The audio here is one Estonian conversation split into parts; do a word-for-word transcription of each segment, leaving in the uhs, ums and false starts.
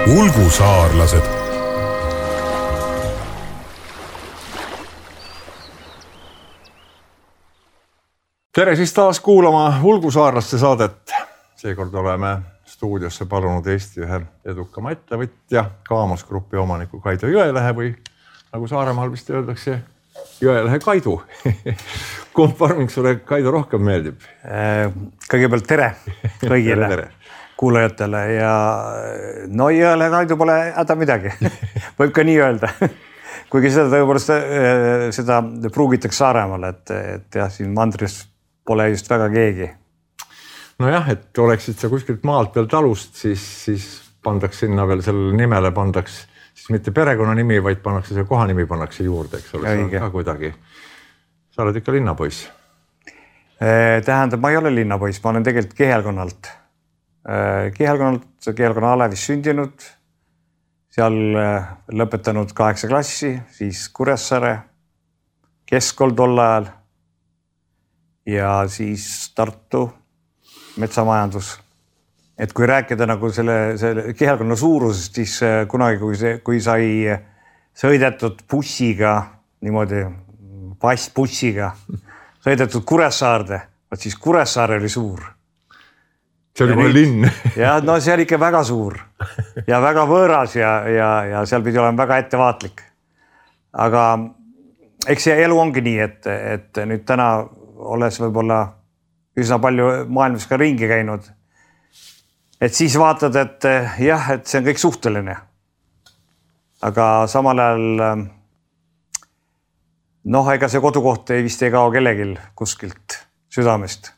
ulgusaarlased. Tere siis taas kuulama ulgusaarlaste saadet. Seekord oleme stuudiosse palunud Eesti ühe edukama ettevõtja, Kaamos Grupi omaniku Kaido Jõelehe või nagu Saaremaal vist öeldakse, Jõelehe Kaidu. Kumb farming sulle, Kaido, rohkem meeldib? Kõigepealt tere kõigile tere, tere. kuulajatele ja no Jõelehe Kaidu pole häda midagi. Võib ka nii öelda. Kuigi seda tõepoolest seda pruugitakse Saaremaal, et, et jah, siin mandris pole just väga keegi. No jah, et oleksid sa kuskilt maalt peal talust, siis, siis pandaks sinna veel sellele nimele, pandaks siis mitte perekonna nimi, vaid pannakse see kohanimi pannakse juurde, eks ole, see on ka kuidagi. Sa oled ikka linnapoiss? Tähendab, ma ei ole linnapoiss, ma olen tegelikult Kihelkonnalt. Kihelkonnalt, Kihelkonna Alevis sündinud, seal lõpetanud kaheksa klassi, siis Kuressaare, keskkool tol ajal ja siis Tartu metsamajandus. Et kui rääkida nagu selle, selle Kihelkonna suurusest, siis kunagi, kui, see, kui sai sõidetud bussiga, niimoodi passbussiga, sõidetud Kuressaarde, vaat siis Kuressaare oli suur. See oli kohe linn. Ja no see oli ikka väga suur ja väga võõras ja, ja, ja seal pidi olema väga ettevaatlik. Aga eks see elu ongi nii, et, et nüüd täna olles võib-olla üsna palju maailmas ka ringi käinud. Et siis vaatad, et jah, et see on kõik suhteline. Aga samal ajal noh, ega see kodukoht ei vist ei kao kellegil kuskilt südamest.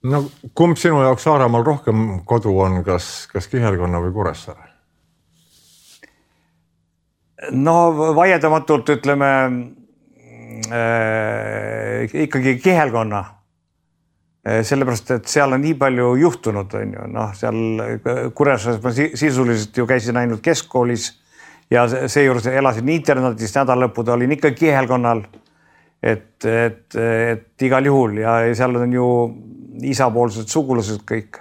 No kumb sinu jaoks Saaremaal rohkem kodu on, kas, kas Kihelkonna või Kuressaare? No vaiedamatult ütleme äh, ikkagi Kihelkonna. Sellepärast, et seal on nii palju juhtunud, on ju. Noh, seal Kuressaares ma sisuliselt ju käisin ainult keskkoolis ja seejuures elasin internetis, nädallõpud olin ikka Kihelkonnal, et, et, et igal juhul ja seal on ju isapoolsed sugulased kõik.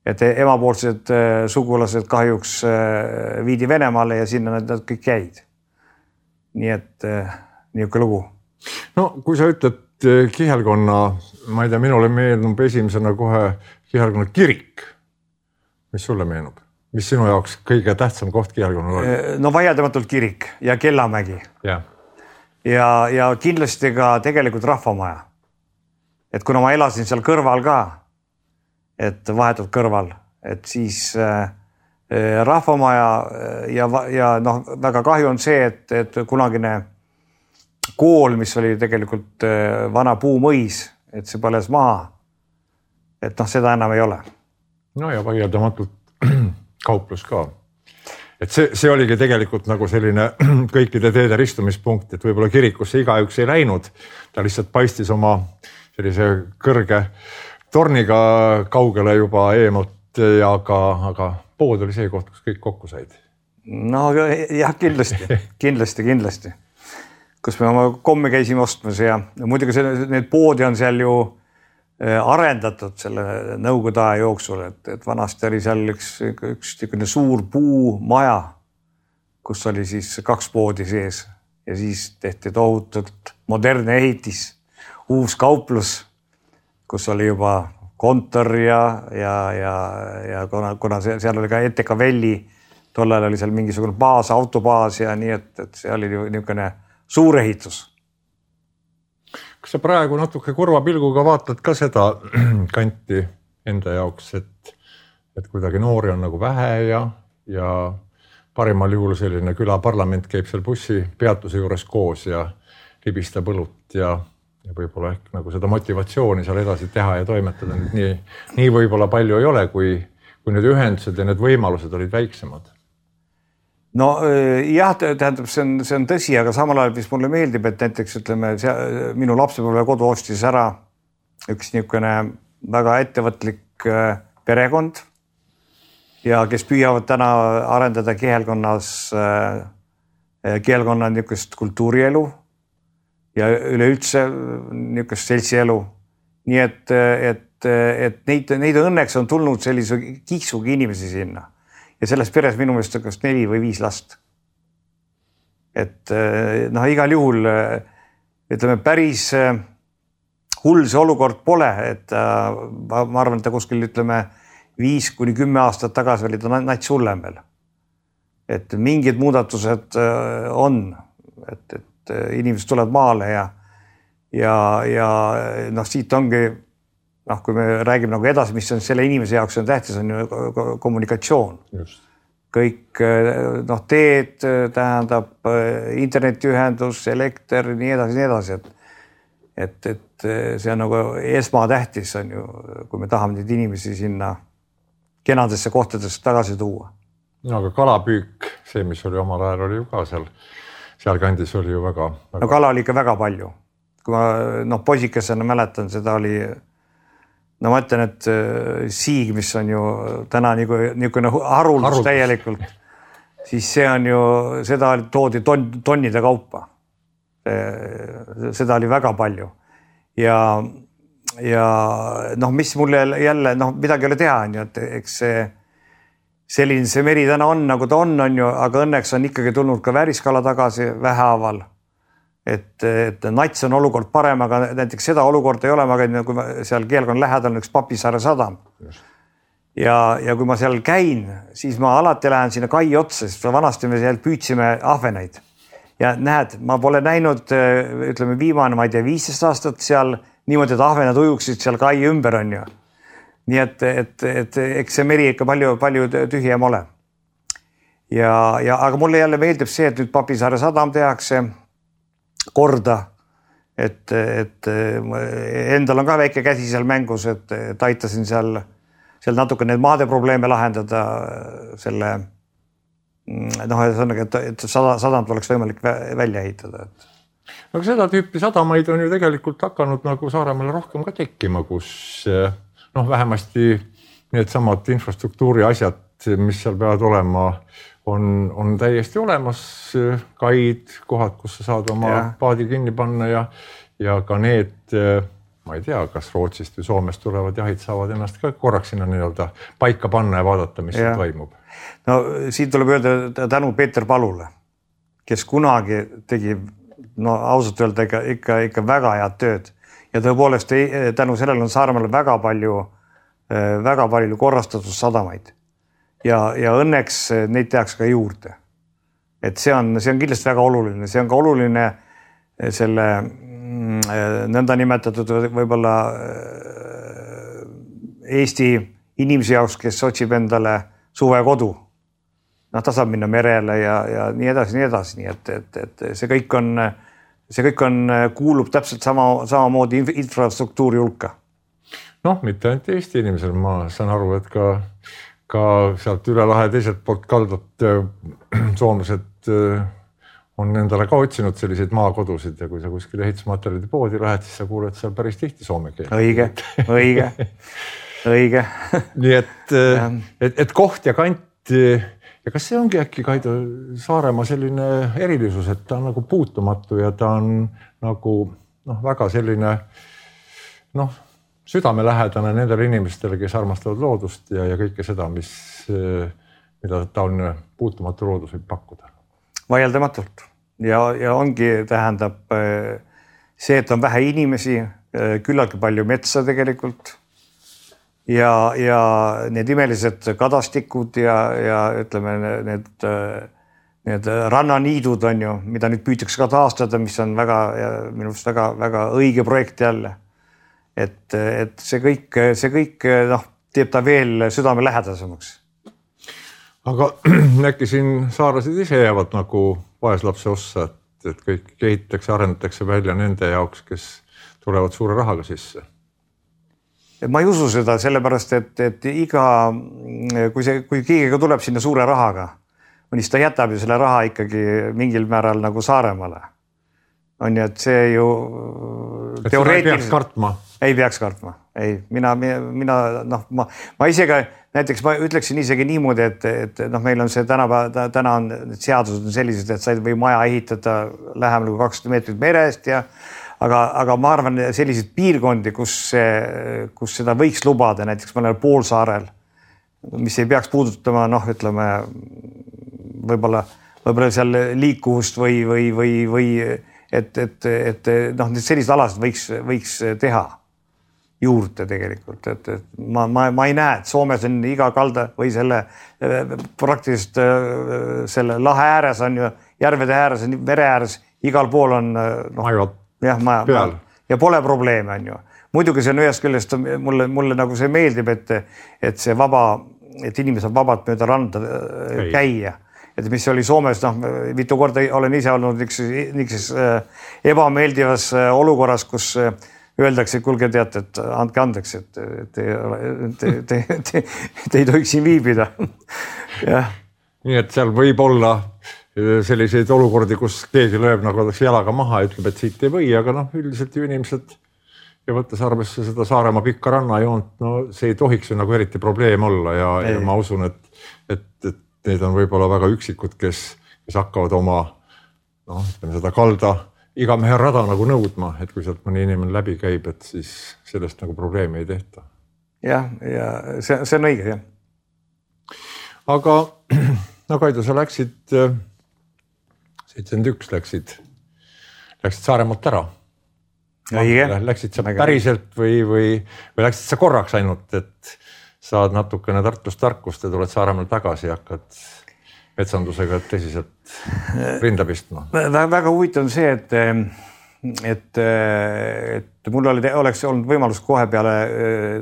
Et emapoolsed sugulased kahjuks viidi Venemaale ja sinna nad kõik käid. Nii et niisugune lugu. No kui sa ütled Kihelkonna, ma ei tea, minule meenub esimesena kohe Kihelkonna kirik. Mis sulle meenub? Mis sinu jaoks kõige tähtsam koht Kihelkonnal oli? No vaiedamatult kirik ja Kellamägi. Ja. Ja, ja kindlasti ka tegelikult rahvamaja. Et kuna ma elasin seal kõrval ka, et vahetult kõrval, et siis äh, rahvamaja ja, ja noh, väga kahju on see, et, et kunagine kool, mis oli tegelikult vana puumõis, et see põles maha. Et noh, seda enam ei ole. No ja vaieldamatult kauplus ka. Et see, see oligi tegelikult nagu selline kõikide teede ristumispunkt, et võib-olla kirikusse igaüks ei läinud. Ta lihtsalt paistis oma sellise kõrge torniga kaugele juba eemalt, aga, aga pood oli see koht, kus kõik kokku said. No jah, kindlasti, kindlasti, kindlasti. Kus me oma komme käisime ostmas ja muidugi need poodi on seal ju arendatud selle nõukogude aja jooksul, et, et vanasti oli seal üks, üks suur puumaja, kus oli siis kaks poodi sees ja siis tehti tohutult modernne ehitis, uus kauplus, kus oli juba kontor ja, ja, ja, ja kuna, kuna seal oli ka E T K Velli, tollal oli seal mingisugune baas, autobaas ja nii, et, et see oli niisugune suur ehitus. Kas sa praegu natuke kurva pilguga vaatad ka seda kanti enda jaoks, et, et kuidagi noori on nagu vähe ja, ja parimal juhul selline külaparlament käib seal bussi peatuse juures koos ja libistab õlut ja, ja võib-olla ehk nagu seda motivatsiooni seal edasi teha ja toimetada. Nii, nii võib-olla palju ei ole, kui, kui need ühendused ja need võimalused olid väiksemad. No jah, tähendab, see on, see on tõsi, aga samal ajal, mis mulle meeldib, et näiteks ütleme, see, minu lapsepõlve kodu ostis ära üks niisugune väga ettevõtlik perekond ja kes püüavad täna arendada Kihelkonnas Kihelkonna niisugust kultuurielu ja üleüldse niisugust seltsielu. Nii et, et, et neid, neid õnneks on tulnud sellise kiksugi inimesi sinna. ja selles peres minu meelest on kas neli või viis last. Et noh, igal juhul ütleme päris hull see olukord pole, et ma, ma arvan, et ta kuskil ütleme viis kuni kümme aastat tagasi oli ta nats hullem veel. Et mingid muudatused on, et, et inimesed tulevad maale ja ja, ja noh, siit ongi noh, kui me räägime nagu edasi, mis on selle inimese jaoks on tähtis, on ju kommunikatsioon. Just. Kõik noh, teed tähendab internetiühendus, elekter, nii edasi, nii edasi, et et, et see on nagu esmatähtis on ju, kui me tahame neid inimesi sinna kenadesse kohtadesse tagasi tuua. No aga kalapüük, see, mis oli omal ajal, oli ju ka seal, seal kandis oli ju väga, väga... No kala oli ikka väga palju. Kui ma noh, poisikesena mäletan, seda oli no ma ütlen, et siig, mis on ju täna niisugune haruldus täielikult, siis see on ju, seda toodi ton, tonnide kaupa. Seda oli väga palju. Ja, ja noh, mis mulle jälle, noh, midagi ei ole teha, on ju, et eks see selline see meri täna on, nagu ta on, on ju, aga õnneks on ikkagi tulnud ka vääriskala tagasi vähehaaval. Et, et nats on olukord parem, aga näiteks seda olukord ei ole, ma käin, kui ma seal Keelkonna lähedal on üks Papisaare sadam. Ja, ja kui ma seal käin, siis ma alati lähen sinna kai otsa, sest vanasti me seal püüdsime ahvenaid. Ja näed, ma pole näinud, ütleme viimane, ma ei tea, viisteist aastat seal niimoodi, et ahvenad ujuksid seal kai ümber on ju. Nii et, et, et eks see meri ikka palju, palju tühjem ole. Ja, ja, aga mulle jälle meeldib see, et nüüd Papisaare sadam tehakse korda, et, et endal on ka väike käsi seal mängus, et, et aitasin seal, seal natuke need maade probleeme lahendada selle, noh, et, et sadam tuleks võimalik välja ehitada. Aga seda tüüpi sadamaid on ju tegelikult hakanud nagu Saaremaale rohkem ka tekkima, kus noh, vähemasti need samad infrastruktuuri asjad, mis seal peavad olema, on, on täiesti olemas, kaid, kohad, kus sa saad oma ja. paadi kinni panna ja, ja ka need, ma ei tea, kas Rootsist või Soomest tulevad jahid saavad ennast ka korraks sinna nii-öelda paika panna ja vaadata, mis ja. toimub. No siin tuleb öelda tänu Peeter Palule, kes kunagi tegi, no ausalt öelda ikka, ikka, ikka väga head tööd ja tõepoolest tänu sellele on Saaremaal väga palju, väga palju korrastatud sadamaid. Ja, ja õnneks neid tehakse ka juurde. Et see on, see on kindlasti väga oluline. See on ka oluline selle nõnda nimetatud võib-olla Eesti inimese jaoks, kes otsib endale suvekodu. Noh, ta saab minna merele ja, ja nii edasi, nii edasi. Nii et, et, et see kõik on, see kõik on, kuulub täpselt sama, samamoodi infrastruktuuri hulka. Noh, mitte ainult Eesti inimesel, ma saan aru, et ka ka sealt üle lahe teiselt poolt kaldat soomlased on endale ka otsinud selliseid maakodusid ja kui sa kuskil ehitusmaterjalide poodi lähed, siis sa kuuled seal päris tihti soome keel. Õige, õige, õige. Nii et, et, et koht ja kant ja kas see ongi äkki Kaido Saaremaa selline erilisus, et ta on nagu puutumatu ja ta on nagu noh, väga selline noh, südamelähedane nendele inimestele, kes armastavad loodust ja, ja kõike seda, mis, mida ta on puutumatu loodus võib pakkuda. Vaieldamatult. Ja, ja ongi tähendab see, et on vähe inimesi, küllaltki palju metsa tegelikult ja, ja need imelised kadastikud ja, ja ütleme need, need rannaniidud on ju, mida nüüd püütakse ka taastada, mis on väga, minu arust väga, väga õige projekt jälle. Et, et see kõik, see kõik noh, teeb ta veel südame lähedasemaks. Aga äkki siin saarlased ise jäävad nagu vaeslapse ossa, et, et kõik kehitatakse, arendatakse välja nende jaoks, kes tulevad suure rahaga sisse? Ma ei usu seda sellepärast, et, et iga, kui, see, kui keegi tuleb sinna suure rahaga, siis ta jätab ju selle raha ikkagi mingil määral nagu Saaremaale. On ju, et see ju et teoreetiliselt... ei peaks kartma? Ei peaks kartma. Ei, mina, mina, noh, ma, ma isegi, näiteks ma ütleksin isegi niimoodi, et, et noh, meil on see täna, täna on seadused on sellised, et sa ei või maja ehitada lähemal kui kakssada meetrit merest ja aga, aga ma arvan selliseid piirkondi, kus, kus seda võiks lubada, näiteks ma olen Poolsaarel, mis ei peaks puudutama, noh, ütleme võib-olla, võib-olla seal liikuvust või, või, või, või et, et, et noh, sellised alased võiks, võiks teha juurde tegelikult, et, et ma, ma, ma ei näe, et Soomes on iga kalda või selle praktiliselt selle lahe ääres on ju, järvede ääres, mere ääres, igal pool on noh, jah, ma, ma, ja pole probleeme, on ju. Muidugi see on ühest küljest, mulle, mulle nagu see meeldib, et, et see vaba, et inimesed vabalt mööda randa Ei. käia. Et mis oli Soomes, noh, mitu korda olen ise olnud niikses ebameeldivas olukorras, kus öeldakse, kulge teate, et andke andeks, et te, te, te, te, te ei tohiks siin viibida. jah. Nii et seal võib olla selliseid olukordi, kus keegi lööb nagu jalaga maha ja ütleb, et siit ei või, aga noh, üldiselt ju inimesed ja võttes arvesse seda Saaremaa pikka rannajoont, no see ei tohiks ju nagu eriti probleem olla ja, ja ma usun, et, et, et need on võib-olla väga üksikud, kes, kes hakkavad oma noh, ütleme seda kalda iga mehe rada nagu nõudma, et kui sealt mõni inimene läbi käib, et siis sellest nagu probleemi ei tehta. jah, ja see, see on õige, jah. Aga no Kaido, sa läksid, seitsekümmend üks läksid, läksid Saaremaalt ära. Õige. Läksid sa päriselt või, või, või läksid sa korraks ainult, et saad natukene Tartust tarkust ja tuled Saaremaal tagasi ja hakkad metsandusega tõsiselt rinda pistma. Väga huvitav on see, et, et, et mul oli, oleks olnud võimalus kohe peale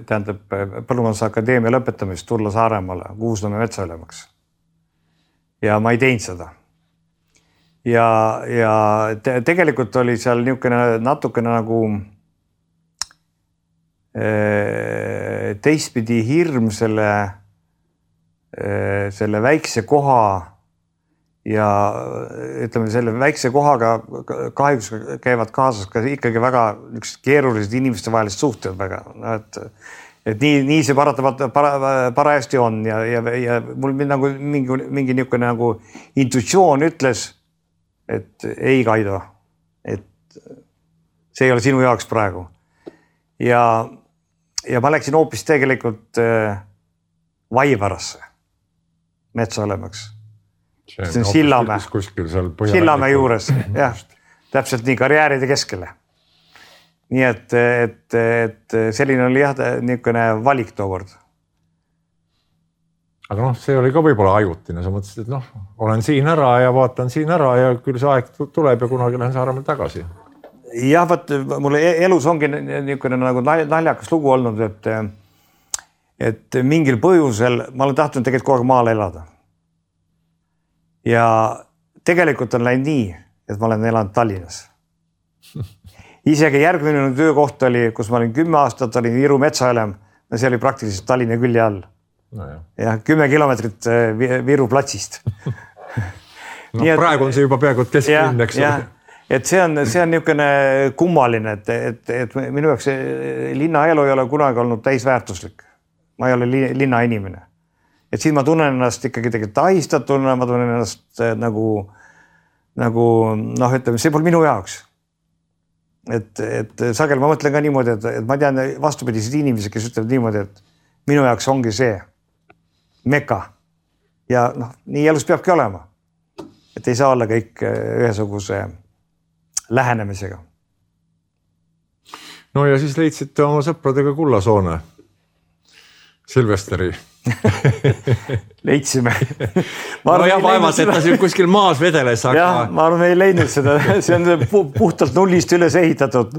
tähendab Põllumajandusakadeemia lõpetamist tulla Saaremaale Kuusnõmme metsaülemaks. Ja ma ei teinud seda. Ja, ja te, tegelikult oli seal niisugune natukene nagu teistpidi hirm selle selle väikse koha ja ütleme selle väikse kohaga kahjuks käivad kaasas ka ikkagi väga üks keerulised inimeste vahelised suhted väga, et, et nii, nii see paratamatult para, parajasti on ja, ja, ja mul nagu mingi, mingi niisugune nagu intuitsioon ütles, et ei Kaido, et see ei ole sinu jaoks praegu. Ja, ja ma läksin hoopis tegelikult Vaivarasse metsaolemaks. See on Sillamäe. Sillamäe juures, jah, täpselt nii karjääride keskele. Nii et, et, et selline oli jah, niisugune valik tookord. Aga noh, see oli ka võib-olla ajutine, sa mõtlesid, et noh, olen siin ära ja vaatan siin ära ja küll see aeg tuleb ja kunagi lähen Saaremaal tagasi. jah, vaat mulle elus ongi niisugune nagu naljakas lugu olnud, et et mingil põhjusel ma olen tahtnud tegelikult kogu aeg maal elada. Ja tegelikult on läinud nii, et ma olen elanud Tallinnas. Isegi järgmine töökoht oli, kus ma olin kümme aastat, olin Viru metsaülem, ja see oli praktiliselt Tallinna külje all. No jah. Ja kümme kilomeetrit Viru platsist. no et, praegu on see juba peaaegu kesklinn, eks ole. Et see on, see on niisugune kummaline, et, et, et minu jaoks linnaelu ei ole kunagi olnud täisväärtuslik. Ma ei ole linna inimene. Et siin ma tunnen ennast ikkagi tegelikult ahistatuna, ma tunnen ennast nagu, nagu noh, ütleme, see pole minu jaoks. Et, et sagel ma mõtlen ka niimoodi, et, et ma tean vastupidised inimesed, kes ütlevad niimoodi, et minu jaoks ongi see meka. Ja noh, nii elus peabki olema. Et ei saa olla kõik ühesuguse lähenemisega. No ja siis leidsite oma sõpradega Kullasoone. Silvesteri. Leidsime. no jah, vaevalt, et ta siin kuskil maas vedeles. Aga... jah, ma arvan, me ei leidnud seda. See on puhtalt nullist üles ehitatud.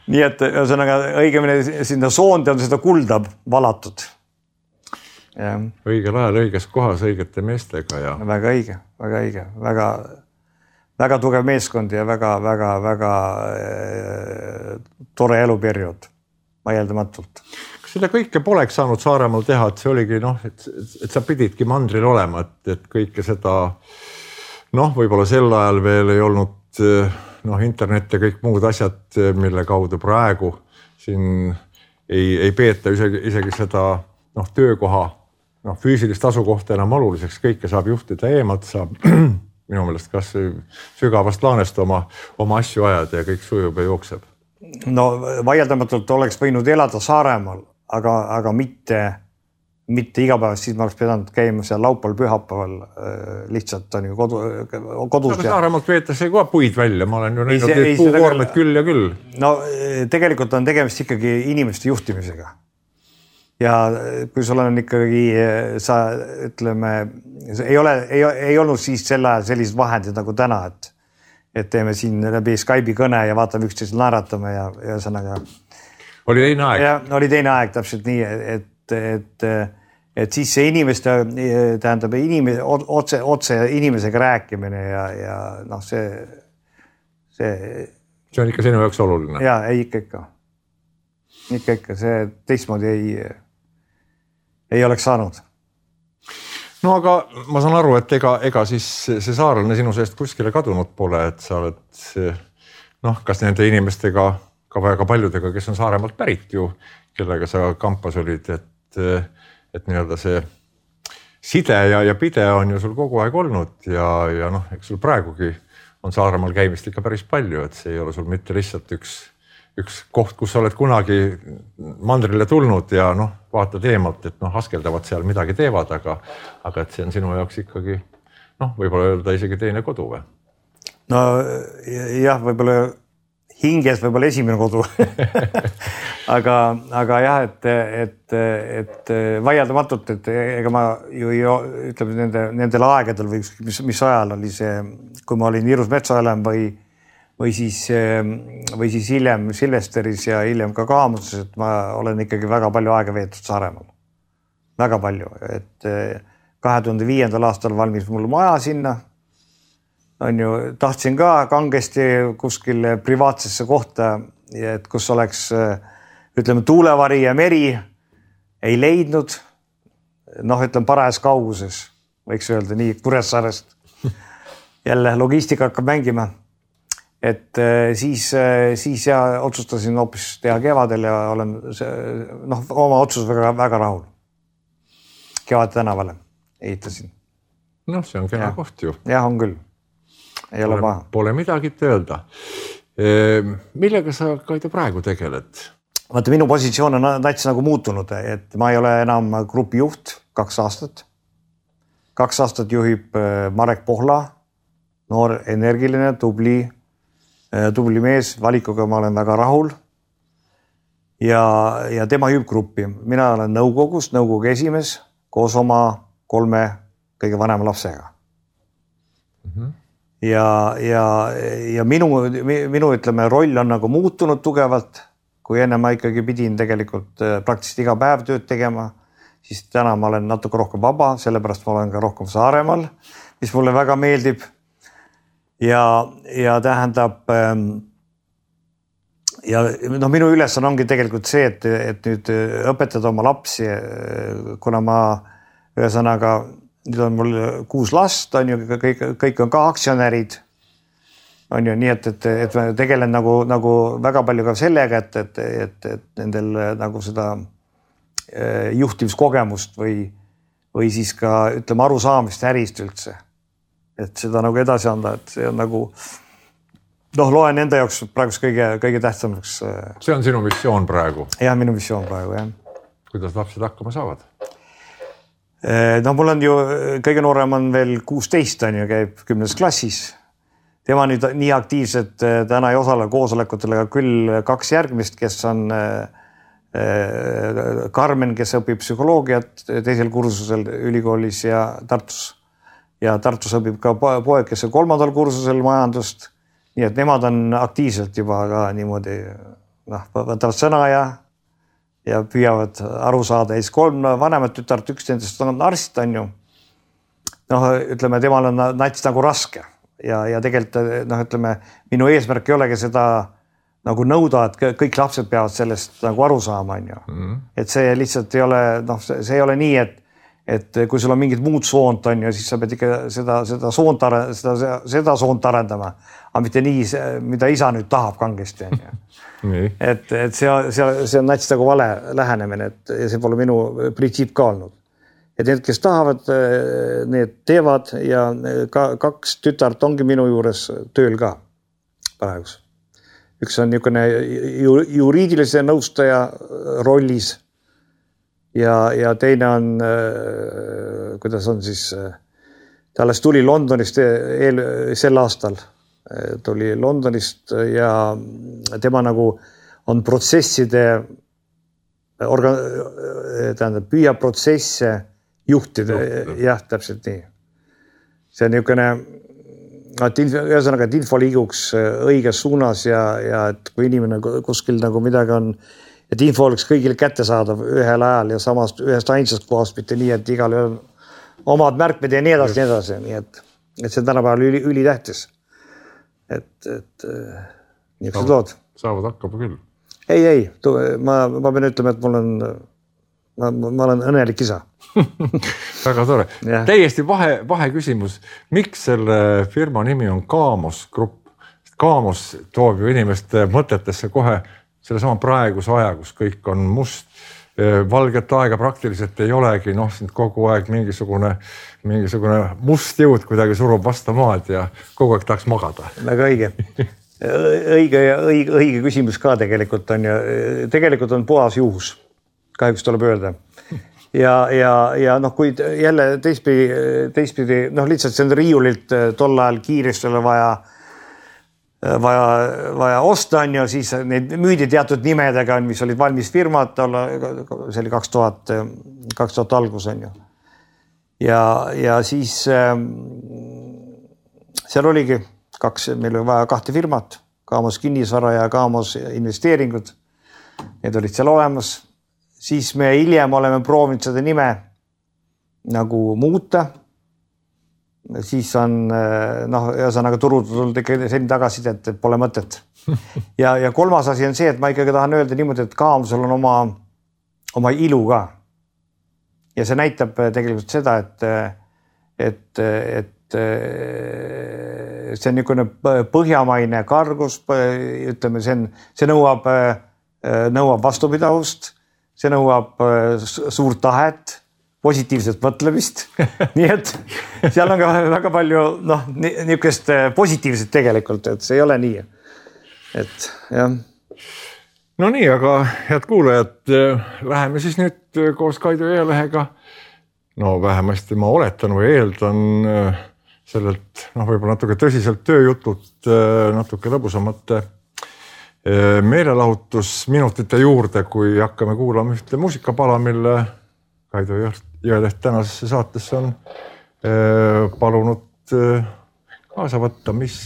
Nii et ühesõnaga õigemini sinna soonde on seda kulda valatud. Ja. Õigel ajal, õiges kohas, õigete meestega. Ja... väga õige, väga õige. Väga, väga tugev meeskond ja väga, väga, väga äh, tore eluperiood. Vaieldamatult. Seda kõike poleks saanud Saaremaal teha, et see oligi, noh, et, et sa pididki mandril olema, et, et kõike seda, noh, võib-olla sel ajal veel ei olnud, noh, internet ja kõik muud asjad, mille kaudu praegu siin ei, ei peeta isegi, isegi seda, noh, töökoha, noh, füüsilist asukohta enam oluliseks, kõike saab juhtida eemalt, saab minu meelest kas sügavast laanest oma, oma asju ajada ja kõik sujub ja jookseb. No vaieldamatult oleks võinud elada Saaremaal, aga, aga mitte mitte igapäevast, siis ma oleks pidanud käima seal laupäeval, pühapäeval lihtsalt on ju kodu, kodus. No, Saaremaalt veetakse kohe puid välja, ma olen ju näinud need puukoormed küll ja küll. No tegelikult on tegemist ikkagi inimeste juhtimisega. Ja kui sul on ikkagi, sa ütleme, ei ole, ei, ei olnud siis selle ajal sellised vahendid nagu täna, et, et teeme siin läbi Skype'i kõne ja vaatame üksteisel naeratame ja, ja sõnaga. Oli teine aeg. Ja, oli teine aeg täpselt nii, et, et, et siis see inimeste, tähendab inimese, otse, otse inimesega rääkimine ja, ja noh, see, see. See on ikka sinu jaoks oluline. Ja, ei ikka ikka. Ikka ikka, see teistmoodi ei, ei oleks saanud. No aga ma saan aru, et ega, ega siis see saarlane sinu seest kuskile kadunud pole, et sa oled noh, kas nende inimestega, ka väga paljudega, kes on Saaremaalt pärit ju, kellega sa kampas olid, et, et nii-öelda see side ja, ja pide on ju sul kogu aeg olnud ja, ja noh, eks sul praegugi on Saaremaal käimist ikka päris palju, et see ei ole sul mitte lihtsalt üks üks koht, kus sa oled kunagi mandrile tulnud ja noh, vaatad eemalt, et noh, askeldavad seal midagi teevad, aga, aga et see on sinu jaoks ikkagi noh, võib-olla öelda isegi teine kodu või? No jah, võib-olla hinges võib-olla esimene kodu. aga, aga jah, et, et, et vaieldamatult, et ega ma ju, ju ütleme nende, nendel aegadel või mis, mis ajal oli see, kui ma olin Irus Metsaelem või või siis, või siis hiljem Silvesteris ja hiljem ka Kaamuses, et ma olen ikkagi väga palju aega veetud Saaremaal. Väga palju, et kahe tuhande viiendal aastal valmis mul maja sinna. On ju, tahtsin ka kangesti kuskil privaatsesse kohta, et kus oleks, ütleme, tuulevari ja meri, ei leidnud. Noh, ütleme, parajas kauguses, võiks öelda nii, Kuressaarest. Jälle logistika hakkab mängima. Et siis, siis ja otsustasin hoopis teha kevadel ja olen noh, oma otsus väga, väga rahul. Kevad tänavale ehitasin. Noh, see on kena ja. Koht ju. Jah, on küll. Ei pole, ole paha. Pole midagi öelda. Millega sa Kaido praegu tegeled? Vaata, minu positsioon on täitsa nagu muutunud, et ma ei ole enam grupi juht kaks aastat. Kaks aastat juhib Marek Pohla, noor, energiline, tubli tubli mees, valikuga ma olen väga rahul ja, ja tema juhib gruppi. Mina olen nõukogus, nõukogu esimees koos oma kolme kõige vanema lapsega. Mm-hmm. Ja, ja, ja minu, minu ütleme, roll on nagu muutunud tugevalt, kui enne ma ikkagi pidin tegelikult praktiliselt iga päev tööd tegema, siis täna ma olen natuke rohkem vaba, sellepärast ma olen ka rohkem Saaremaal, mis mulle väga meeldib. Ja, ja tähendab ja no minu ülesanne ongi tegelikult see, et, et nüüd õpetada oma lapsi, kuna ma ühesõnaga, nüüd on mul kuus last, on ju, kõik, kõik on ka aktsionärid, on ju, nii et, et, et ma tegelen nagu, nagu väga palju ka sellega, et, et, et, et nendel nagu seda juhtimiskogemust või, või siis ka ütleme arusaamist ärist üldse. Et seda nagu edasi anda, et see on nagu noh, loen enda jaoks praegu kõige, kõige tähtsamaks. See on sinu missioon praegu? Jah, minu missioon praegu, jah. Kuidas lapsed hakkama saavad? No mul on ju, kõige noorem on veel kuusteist, on ju, käib kümnes klassis. Tema nüüd nii aktiivselt täna ei osale koosolekutel, aga küll kaks järgmist, kes on Karmen, kes õpib psühholoogiat teisel kursusel ülikoolis ja Tartus. Ja Tartus õpib ka poeg, kes on kolmandal kursusel majandust. Nii et nemad on aktiivselt juba ka niimoodi, noh, võtavad sõna ja, ja püüavad aru saada. Ja siis kolm vanemat tütart, üks nendest on arst, on ju. Noh, ütleme, temal on nats nagu raske. Ja, ja tegelikult, noh, ütleme, minu eesmärk ei olegi seda nagu nõuda, et kõik lapsed peavad sellest nagu aru saama, on ju. Mm. Et see lihtsalt ei ole, noh, see ei ole nii, et et kui sul on mingid muud soont on ju, siis sa pead ikka seda, seda soont, seda, seda soont arendama, aga mitte nii, mida isa nüüd tahab kangesti. et, et see, see, see on nats nagu vale lähenemine, et see pole minu printsiip ka olnud. Et need, kes tahavad, need teevad ja ka, kaks tütart ongi minu juures tööl ka praegus. Üks on niisugune juriidilise nõustaja rollis ja, ja teine on, kuidas on siis, ta alles tuli Londonist eel, sel aastal, tuli Londonist ja tema nagu on protsesside, orga, tähendab, püüab protsesse juhtida, jah, täpselt nii. See on niisugune, et ühesõnaga, et info liiguks õiges suunas ja, ja et kui inimene kuskil nagu midagi on, et info oleks kõigile kättesaadav ühel ajal ja samast ühest ainsast kohast, mitte nii, et igal on omad märkmed ja nii edasi, nii edasi, nii et, et see tänapäeval üli, üli tähtis. Et, et niisugused lood. Saavad hakkama küll. Ei, ei, ma, ma pean ütlema, et mul on, ma, ma olen õnnelik isa. Väga tore. Täiesti vahe, vahe küsimus. Miks selle firma nimi on Kaamos Grupp? Kaamos toob ju inimeste mõtetesse kohe selle sama praeguse aja, kus kõik on must. Valget aega praktiliselt ei olegi, noh, sind kogu aeg mingisugune, mingisugune must jõud kuidagi surub vastu maad ja kogu aeg tahaks magada. Väga õige. Õige ja õige, õige küsimus ka tegelikult on ja tegelikult on puhas juhus. Kahjuks tuleb öelda. Ja, ja, ja noh, kui jälle teistpidi, teistpidi, noh, lihtsalt see on riiulilt tol ajal kiiresti oli vaja, vaja, vaja osta on ja siis need müüdi teatud nimedega, mis olid valmis firmad, see oli kaks tuhat, kaks tuhat algus on ju. Ja, ja siis seal oligi kaks, meil oli vaja kahte firmat, Kaamos kinnisvara ja Kaamos investeeringud. Need olid seal olemas. Siis me hiljem oleme proovinud seda nime nagu muuta. Siis on, noh, ühesõnaga turud tulnud ikka selline tagasi, et pole mõtet. Ja, ja kolmas asi on see, et ma ikkagi tahan öelda niimoodi, et Kaamosel on oma, oma ilu ka. Ja see näitab tegelikult seda, et, et, et see on niisugune põhjamaine kargus, ütleme, see, on, see nõuab, nõuab vastupidavust. See nõuab suurt tahet, positiivset mõtlemist. Nii et seal on ka väga palju noh, niisugust positiivset tegelikult, et see ei ole nii. Et jah. No nii, aga head kuulajad, läheme siis nüüd koos Kaido Jõelehega. No vähemasti ma oletan või eeldan sellelt, noh, võib-olla natuke tõsiselt tööjutult, natuke lõbusamate meelelahutusminutite juurde, kui hakkame kuulama ühte muusikapala, mille Kaido Jõeleht tänasesse saatesse on palunud kaasa võtta, mis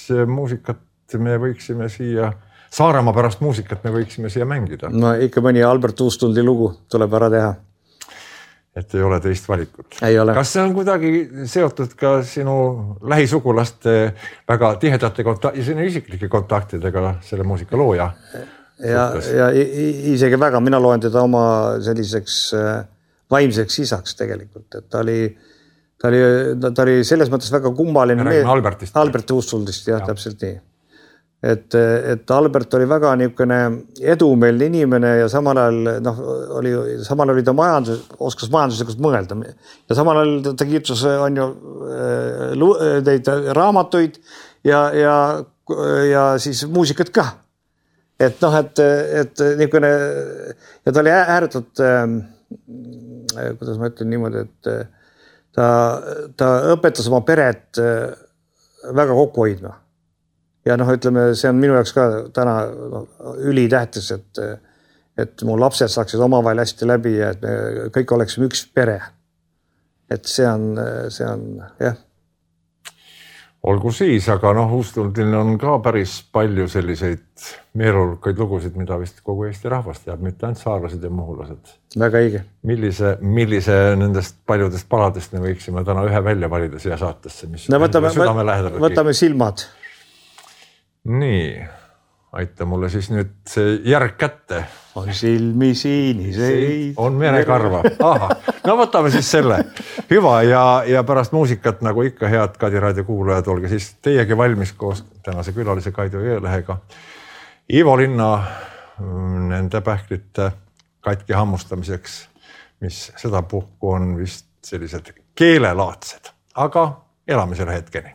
muusikat me võiksime siia, Saaremaa pärast muusikat me võiksime siia mängida. No ikka mõni Albert Uustuldi lugu tuleb ära teha. Et ei ole teist valikut. Ei ole. Kas see on kuidagi seotud ka sinu lähisugulaste väga tihedate kontakti, sinu isiklike kontaktidega selle muusika looja? Ja, ja isegi väga, mina loen teda oma selliseks vaimseks isaks tegelikult, et ta oli, ta oli, ta oli selles mõttes väga kummaline. Me räägime Albertist. Albert Uustuldist, jah, ja. Täpselt nii. Et, et Albert oli väga niisugune edumeelne inimene ja samal ajal, noh, oli, samal oli ta majandus, oskas majanduslikult mõelda. Ja samal ajal ta kirjutas on ju neid raamatuid ja, ja, ja siis muusikat ka. Et noh, et, et niisugune, ja ta oli ääretult, kuidas ma ütlen niimoodi, et ta, ta õpetas oma peret väga kokku hoidma. Ja noh, ütleme, see on minu jaoks ka täna no, ülitähtis, et, et mu lapsed saaksid omavahel hästi läbi ja et me kõik oleksime üks pere. Et see on, see on, jah. Olgu siis, aga noh, Uustuldil on ka päris palju selliseid meelolukaid lugusid, mida vist kogu Eesti rahvast teab, mitte ainult saarlased ja muhulased. Väga õige. Millise, millise nendest paljudest paladest me võiksime täna ühe välja valida siia saatesse, mis no, võtame, võtame silmad. Nii, aita mulle siis nüüd see järg kätte. On silmi siiniseid. On merekarva. Aha, no võtame siis selle. Hüva ja, ja pärast muusikat, nagu ikka head Kadi Raadio kuulajad, olge siis teiegi valmis koos tänase külalise Kaido Jõelehega. Ivo Linna nende pähklite katki hammustamiseks, mis seda puhku on vist sellised keelelaadsed, aga elame selle hetkeni.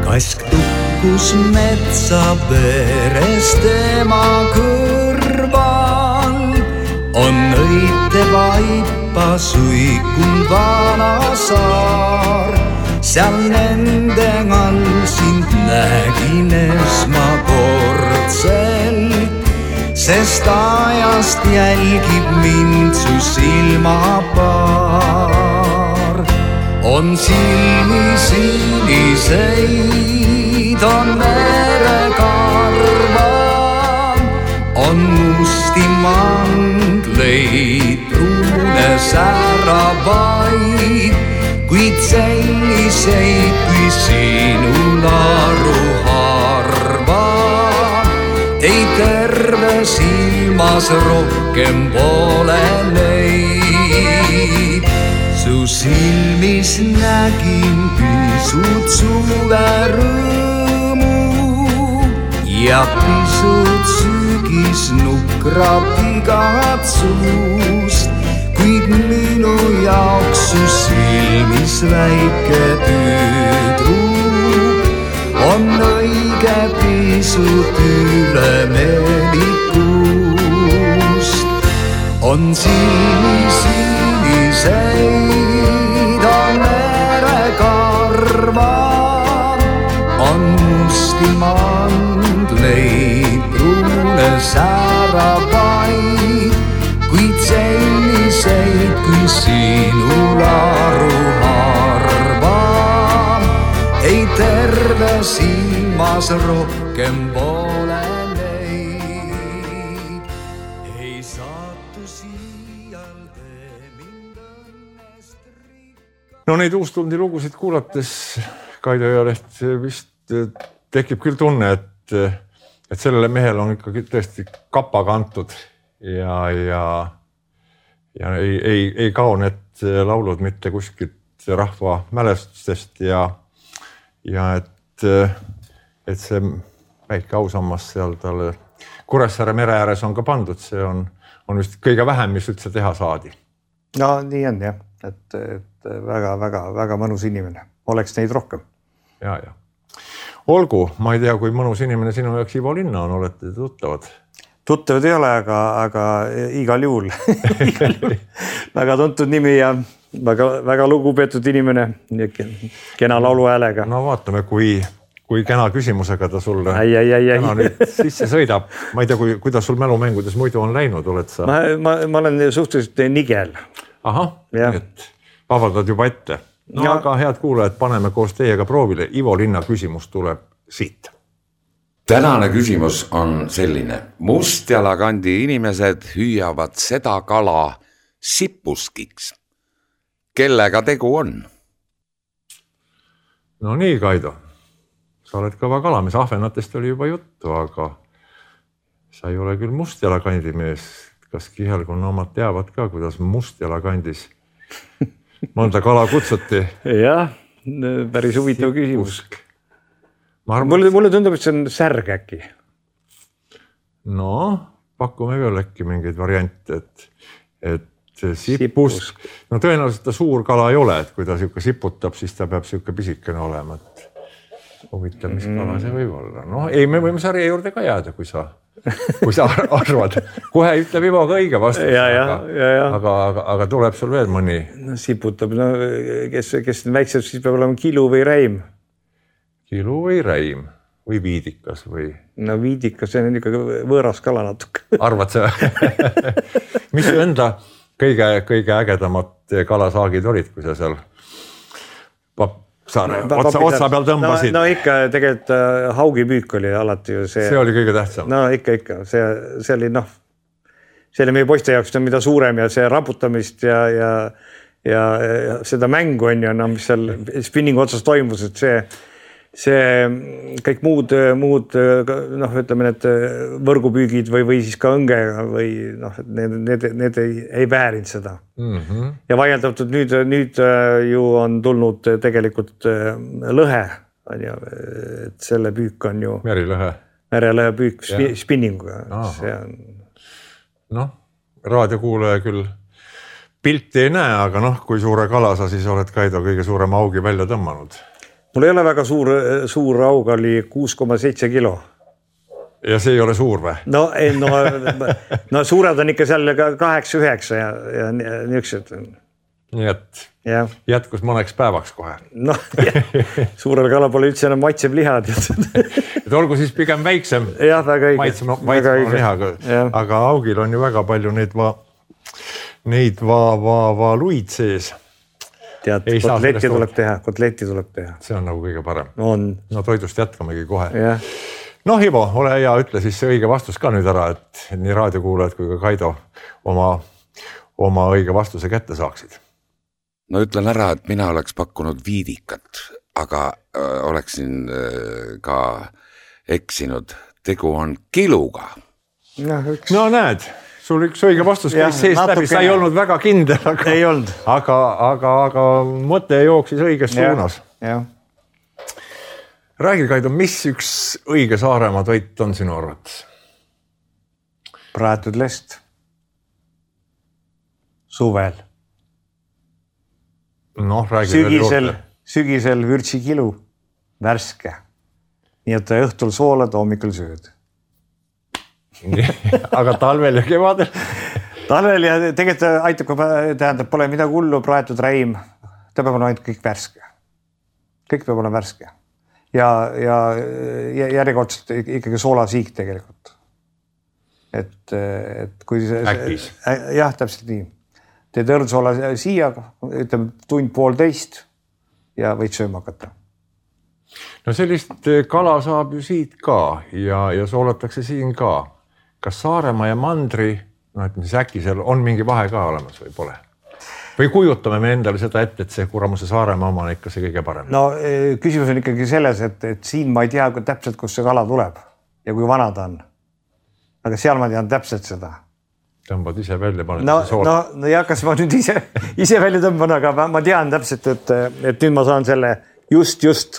Kask tukk kus metsa peres tema kõrval on õite vaipa suikund vana saar. Seal nende all sind nägin esmakordselt, sest ajast jälgib mind su silmapaar. On silmi siniseid, on verekarvad, on musti mangleid, pruune särabaid, kuid selliseid kui sinul aru harva. Ei terve silmas rohkem pole neid. Su silmis nägin pisut suverõõmu ja pisut sügisnukrat igatsust, kuid minu jaoks su silmis väike tüdruk on õige pisut ülemeelikust. On silmi siniseid, on verekarvad, on musti mandleid, pruune särabaid, kuid selliseid kui sinul aru harva. Ei terve silmas rohkem pole neid. Ei saatu siial tee mind õnnest rikka. No neid uustundi lugusid kuulates Kaido Ealeht vist tekib küll tunne, et, et sellele mehel on ikkagi tõesti kapa kantud ja, ja, ja ei, ei, ei kao need laulud mitte kuskilt rahva mälestustest ja ja et, et see väike ausammas seal talle Kuressaare mere ääres on ka pandud, see on, on vist kõige vähem, mis üldse teha saadi. No nii on jah, et, et väga, väga, väga mõnus inimene, oleks neid rohkem. Ja, ja. Olgu, ma ei tea, kui mõnus inimene sinu jaoks Ivo Linna on, olete tuttavad? Tuttavad ei ole, aga, aga igal juhul. Väga tuntud nimi ja väga, väga lugupeetud inimene, kena laulu häälega. No vaatame, kui, kui kena küsimusega ta sulle ai, ai, ai, kena ai. Nüüd sisse sõidab. Ma ei tea, kui, kuidas sul mälumängudes muidu on läinud, oled sa? Ma, ma, ma olen suhteliselt nigel. Aha, et vabaldad juba ette. No ja. Aga head kuulajad, paneme koos teiega proovile. Ivo Linna küsimus tuleb siit. Tänane küsimus on selline. Mustjalakandi inimesed hüüavad seda kala sipuskiks. Kellega tegu on? No nii, Kaido. Sa oled kõva kalamees. Ahvenatest oli juba juttu, aga sa ei ole küll mustjalakandi mees. Kas kihelkonna omad teavad ka, kuidas mustjalakandis mõnda kala kutsuti? Jah, päris huvitav küsimus. Arvan, mulle, mulle tundub, et see on särg äkki. No, pakume veel äkki mingeid variante, et, et sipusk. No tõenäoliselt ta suur kala ei ole, et kui ta siuke siputab, siis ta peab siuke pisikene olema. Et huvitav, mis kala see võib olla. No ei, me võime sarja juurde ka jääda, kui sa, kui sa arvad. Kohe ütleb Ivo ka õige vastus, ja, ja, aga, ja, ja. Aga, aga, aga tuleb sul veel mõni. No siputab, no kes, kes väiksed, siis peab olema kilu või räim. Kilu või räim või viidikas või? No viidikas, see on ikka võõras kala natuke. Arvad sa? Mis su enda kõige, kõige ägedamad kalasaagid olid, kui sa seal saare, otsa, otsa peal tõmbasid? No, no ikka tegelikult haugipüük oli alati ju see. See oli kõige tähtsam. No ikka, ikka. See, see oli noh, see oli meie poiste jaoks mida suurem ja see raputamist ja, ja, ja, ja seda mängu on ju, no, mis seal spinningu otsas toimus, et see see kõik muud, muud noh, ütleme need võrgupüügid või, või siis ka õngega või noh, need, need, need ei, ei väärinud seda. Mm-hmm. Ja vaieldatud nüüd, nüüd ju on tulnud tegelikult lõhe, on ju, et selle püük on ju merilõhe, merilõhe püük ja. Spinninguga. See on... Noh, raadiokuulaja küll pilti ei näe, aga noh, kui suure kala sa siis oled, Kaido, kõige suurema augi välja tõmmanud. mul ei ole väga suur, suur raug oli kuus koma seitse kilo. Ja see ei ole suur või? No, ei, no, no suured on ikka seal kaheksa üheksa ja, ja niisugused. Nii et ja. jätkus mõneks päevaks kohe. No, suurel kala pole üldse enam maitsev liha. Et olgu siis pigem väiksem. Jah, väga õige. Maitsem, maitsem lihaga. Aga augil on ju väga palju neid, va, neid va, va, va luid sees. Tead, kotletti tuleb teha, kotletti tuleb teha. See on nagu kõige parem. On. No toidust jätkamegi kohe. Ja. No Ivo, ole hea, ütle siis see õige vastus ka nüüd ära, et nii raadiokuulajad kui ka Kaido oma, oma õige vastuse kätte saaksid. No ütlen ära, et mina oleks pakkunud viidikat, aga äh, oleksin äh, ka eksinud. Tegu on kiluga. No, üks... no näed, sul üks õige vastus käis seest läbi, sa ei olnud väga kindel, aga, ei olnud. aga, aga, aga mõte jooksis õiges suunas. Jah. Räägi, Kaido, mis üks õige Saaremaa toit on sinu arvates? Praetud lest. Suvel. No, räägi sügisel, sügisel vürtsikilu, värske. Nii et õhtul soolad, hommikul sööd. Aga talvel ja kevadel? Talvel ja tegelikult aitab, tähendab, pole midagi hullu, praetud räim. Ta peab olema ainult kõik värske. Kõik peab olema värske. Ja, ja järjekordselt ikkagi soolasiik tegelikult. Et, et kui see... Äkis. Jah, täpselt nii. Teed õrnsoola siia, ütleme tund poolteist ja võid sööma hakata. No sellist kala saab ju siit ka ja, ja soolatakse siin ka. Kas Saaremaa ja Mandri, no et mis äkki seal on mingi vahe ka olemas või pole? Või kujutame me endale seda ette, et see kuramuse Saaremaa oma on ikka see kõige parem? No küsimus on ikkagi selles, et, et siin ma ei tea täpselt, kus see kala tuleb ja kui vana ta on. Aga seal ma tean täpselt seda. Tõmbad ise välja, paned no, see sool. No, no ja kas ma nüüd ise, ise välja tõmban, aga ma tean täpselt, et, et nüüd ma saan selle just, just.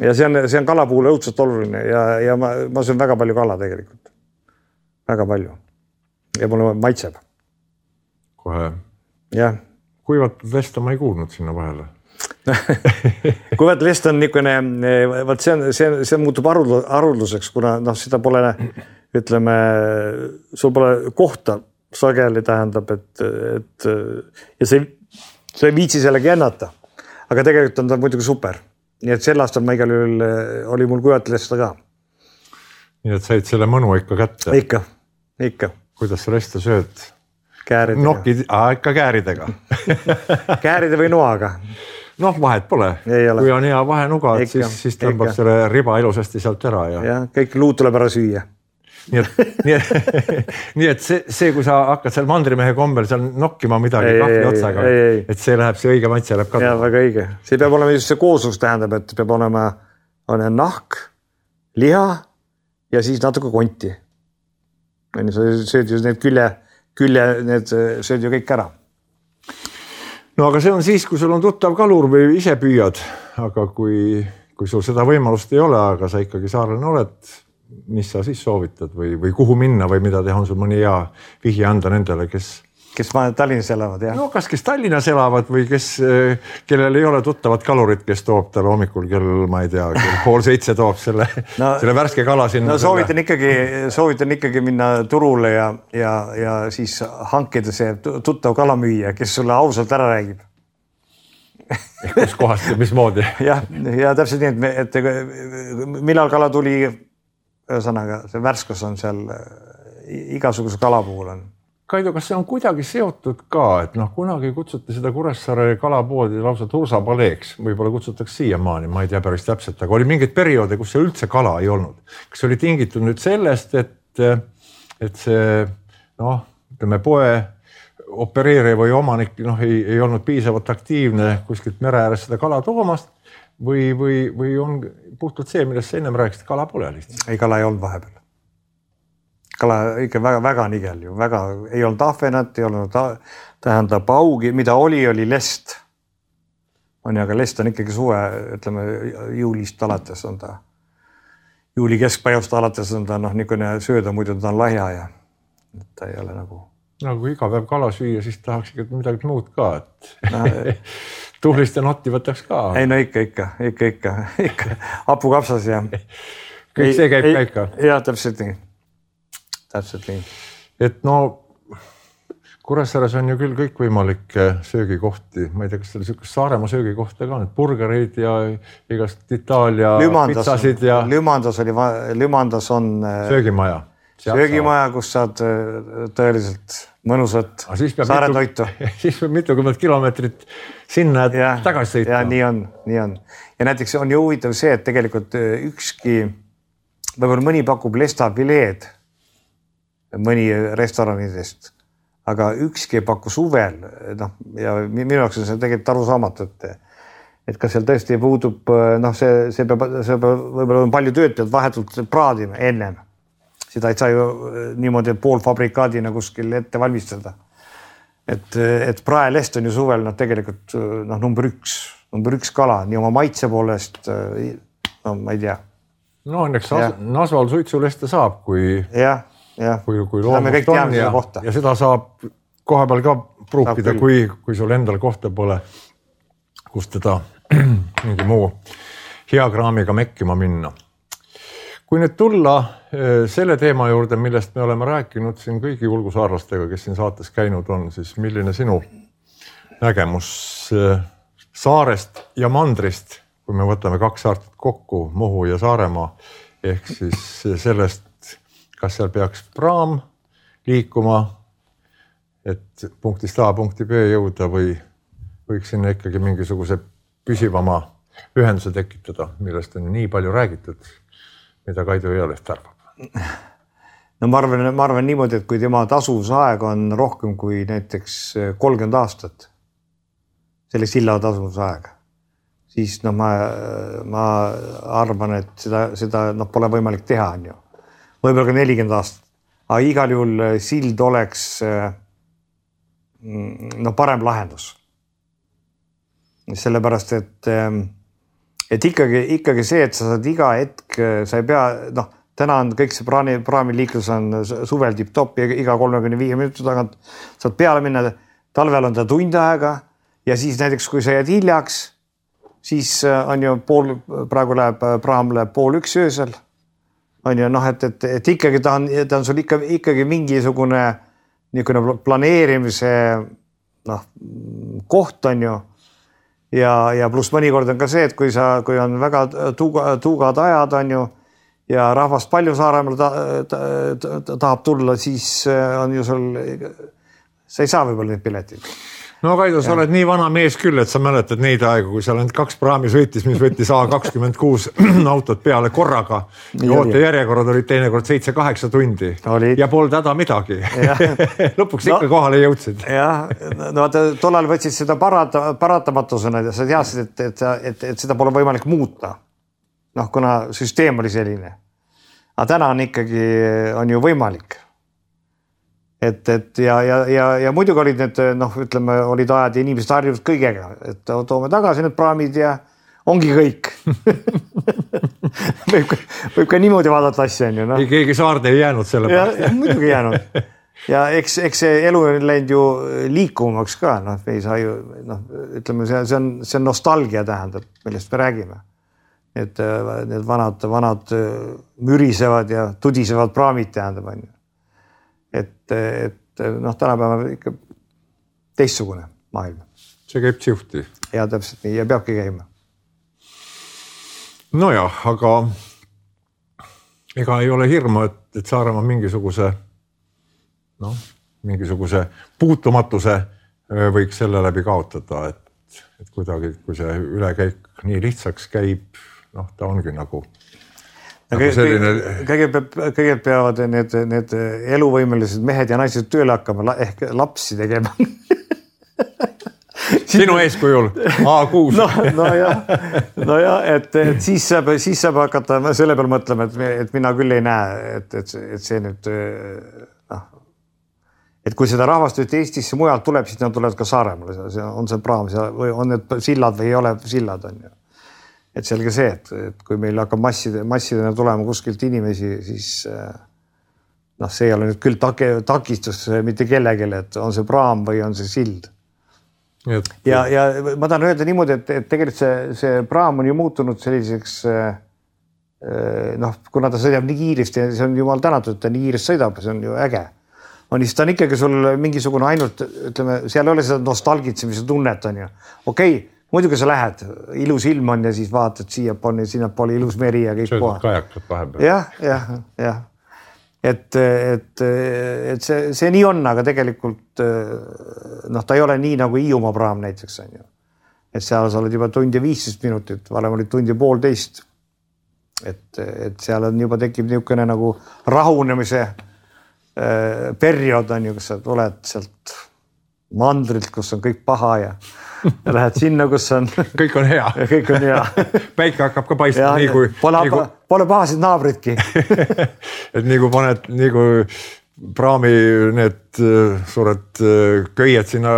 Ja see on, see on kala puhul õudselt oluline ja, ja ma, ma söön väga palju kala tegelikult. Väga palju. Ja mulle maitseb. Kohe. Jah. Kuivatud lesta ma ei kuulnud sinna vahele. Kuivatud lesta on niisugune, vaat see, on, see, see muutub arudluseks, kuna noh, seda pole, ütleme, sul pole kohta sageli tähendab, et, et ja see, see ei viitsi sellega jännata. Aga tegelikult on ta muidugi super. Nii et sel aastal ma igal juhul oli mul kuivatud lesta ka. Nii et said selle mõnu ikka kätte? Ikka, ikka. Kuidas sa lesta sööd? Kääridega. Nokid, aa, ikka kääridega. Kääride või noaga. Noh, vahet pole. Kui on hea vahenuga, siis, siis tõmbab selle riba ilusasti sealt ära. Ja, ja kõik luud tuleb ära süüa. Nii et, nii et, nii et see, see, kui sa hakkad seal mandrimehe kombel seal nokkima midagi ei, kahvli otsaga, ei, ei. Et see läheb, see õige maitse läheb kaduma. Ja, väga õige. See peab olema just see kooslus tähendab, et peab olema on nahk, liha ja siis natuke konti. Sa sööd ju need külje, külje, need sööd ju kõik ära. No aga see on siis, kui sul on tuttav kalur või ise püüad, aga kui, kui sul seda võimalust ei ole, aga sa ikkagi saarlane oled, mis sa siis soovitad või, või kuhu minna või mida teha, on sul mõni hea vihje anda nendele, kes... Kes Tallinnas elavad, jah? No kas kes Tallinnas elavad või kes, kellel ei ole tuttavat kalurit, kes toob talle hommikul kell, ma ei tea, kell pool seitse toob selle, no, selle värske kala sinna. No soovitan ikkagi, soovitan ikkagi minna turule ja, ja, ja siis hankida see tuttav kalamüüja, kes sulle ausalt ära räägib. Kus kohast ja mismoodi? Ja, ja täpselt nii, et, et millal kala tuli, ühesõnaga, see värskus on seal igasuguse kala puhul on. Kaido, kas see on kuidagi seotud ka, et noh, kunagi kutsuti seda Kuressaare kalapoodi lausa tursapaleeks, võib-olla kutsutakse siiamaani, ma ei tea päris täpselt, aga oli mingeid perioode, kus see üldse kala ei olnud. Kas oli tingitud nüüd sellest, et, et see, noh, ütleme poe opereerija või omanik noh, ei, ei olnud piisavalt aktiivne kuskilt mere ääres seda kala toomast või, või, või on puhtalt see, millest sa ennem rääkisid, kala pole lihtsalt? Ei, kala ei olnud vahepeal. Kala ikka väga, väga nigel ju, väga, ei olnud ahvenat, ei olnud tähendab augi, mida oli, oli lest. On ju, aga lest on ikkagi suve, ütleme, juulist alates on ta, juuli keskpäevast alates on ta noh, niisugune sööda, muidu ta on lahja ja ta ei ole nagu No kui iga päev kala süüa, siis tahaks ikka midagi muud ka, et no, tuhlist ja notti võtaks ka. Ei no ikka, ikka, ikka, ikka, ikka hapukapsas ja kõik see käib ka ikka. Jah, täpselt nii. Täpselt nii. Et no Kuressaares on ju küll kõik võimalikke söögikohti. Ma ei tea, kas seal Saaremaa söögikohta ka, need burgerid ja igast Itaalia Lümandas, pitsasid ja... Lümandas, oli, Lümandas on söögimaja. Söögimaja, kus saad tõeliselt mõnusat saare toitu. Siis peab mitukümmend kilomeetrit sinna ja, tagasi sõita. Ja nii on, nii on. Ja näiteks on ju huvitav see, et tegelikult ükski, võib-olla mõni pakub lestafileed mõni restoranidest, aga ükski ei paku suvel. No, ja minu jaoks on see tegelikult arusaamatu, et, et kas seal tõesti puudub, noh, see, see peab, see peab võib-olla on palju tööd pealt vahetult praadima ennem. Seda ei saa ju niimoodi poolfabrikaadina kuskil ette valmistada. Et, et praelest on ju suvel no, tegelikult no, number üks, number üks kala, nii oma maitse poolest, no ma ei tea. No õnneks Nasval suitsuleste saab, kui, ja, ja. kui, kui loomust on ja, ja seda saab koha peal ka pruukida, kui, kui sul endal kohta pole, kus teda mingi muu hea kraamiga mekkima minna. Kui nüüd tulla selle teema juurde, millest me oleme rääkinud siin kõigi ulgusaarlastega, kes siin saates käinud on, siis milline sinu nägemus saarest ja mandrist, kui me võtame kaks saartet kokku, Muhu ja Saaremaa, ehk siis sellest, kas seal peaks praam liikuma, et punktist A punkti B jõuda või võiks sinna ikkagi mingisuguse püsivama ühenduse tekitada, millest on nii palju räägitud, mida Kaido Ealest arvab? No ma arvan, ma arvan niimoodi, et kui tema tasuvusaeg on rohkem kui näiteks kolmkümmend aastat, selle silla tasuvusaeg, siis no ma, ma arvan, et seda, seda no, pole võimalik teha. On ju. Võib-olla ka nelikümmend aastat. Aga igal juhul sild oleks no, parem lahendus. Sellepärast, et et ikkagi, ikkagi see, et sa saad iga hetk, sa ei pea, noh, täna on kõik see praami, praamiliiklus on suvel tipp-top ja iga kolmekümne viie minuti tagant saad peale minna, talvel on ta tund aega ja siis näiteks, kui sa jääd hiljaks, siis on ju pool, praegu läheb, praam läheb pool üks öösel, on ju, noh, et, et, et ikkagi ta on, ta on sul ikka, ikkagi mingisugune niisugune planeerimise noh, koht on ju. Ja, ja pluss mõnikord on ka see, et kui, sa, kui on väga tuuga, tuugad ajad on ju ja rahvast palju Saaremaal ta, ta, ta, ta, tahab tulla, siis on ju sul, sa ei saa võib-olla neid piletid. No Kaido, sa ja. oled nii vana mees küll, et sa mäletad neid aegu, kui seal ainult kaks praami sõitis, mis võttis A kakskümmend kuus autot peale korraga. Oote järjekorrad olid teinekord seitse kaheksa tundi olid. Ja polnud häda midagi. Lõpuks no, ikka kohale jõudsid. Jah, no tollal võtsid seda parata, paratamatusena ja sa teadsid, et, et, et, et seda pole võimalik muuta. Noh, kuna süsteem oli selline. Aga täna on ikkagi, on ju võimalik. Et, et ja, ja, ja, ja muidugi olid need, noh, ütleme, olid ajad ja inimesed harjunud kõigega, et toome tagasi need praamid ja ongi kõik. võib, võib ka niimoodi vaadata asja, on ju. No. Ei keegi saarde ei jäänud selle pärast. Ja, muidugi jäänud. Ja eks, eks see elu on läinud ju liikumaks ka, noh, me ei saa ju, noh, ütleme, see, see, on, see on nostalgia tähendab, millest me räägime. Et need vanad, vanad mürisevad ja tudisevad praamid tähendab, on ju. Et, et noh, tänapäeval ikka teistsugune maailm. See käib tsihti. Ja täpselt nii, ja peabki käima. No jah, aga ega ei ole hirmu, et, et Saaremaa mingisuguse, noh, mingisuguse puutumatuse võiks selle läbi kaotada, et, et kuidagi, kui see ülekäik nii lihtsaks käib, noh, ta ongi nagu Nagu selline... kõigepealt, kõigepealt peavad need, need eluvõimelised mehed ja naised tööle hakkama ehk lapsi tegema. Sinu eeskujul A kuus. No, no jah, no jah, et, et siis saab, siis saab hakata selle peal mõtlema, et, et mina küll ei näe, et, et, et see nüüd, noh, et kui seda rahvast nüüd Eestisse mujalt tuleb, siis nad tulevad ka Saaremaale, on see praam või on need sillad või ei ole sillad, on ju. Et selge see, et, et kui meil hakkab masside, massidena tulema kuskilt inimesi, siis noh, see ei ole nüüd küll take, takistus mitte kellegile, et on see praam või on see sild. Et... Ja, ja ma tahan öelda niimoodi, et, et tegelikult see, see praam on ju muutunud selliseks, noh, kuna ta sõidab nii kiiresti ja see on jumal tänatud, et ta nii kiiresti sõidab, see on ju äge. On, siis ta on ikkagi sul mingisugune ainult, ütleme, seal ei ole seda nostalgitsemise tunnet on ju. Okei, okay, muidugi sa lähed, ilus ilm on ja siis vaatad siia poole, sinna poole ilus meri ja kõik poha. Kajakad vahepeal. Jah, jah, jah. Et, et, et see, see nii on, aga tegelikult noh, ta ei ole nii nagu Hiiumaa praam näiteks on ju. Et seal sa oled juba tund ja viisteist minutit, varem oli tund ja poolteist. Et, et seal on juba tekib niisugune nagu rahunemise periood on ju, kus sa tuled sealt mandrilt, kus on kõik paha ja, ja lähed sinna, kus on kõik on hea. Kõik on hea. Päike hakkab ka paistma. Nii kui, pole, nii kui... pole pahasid naabritki. et nii kui paned, nii kui praami need suured köied sinna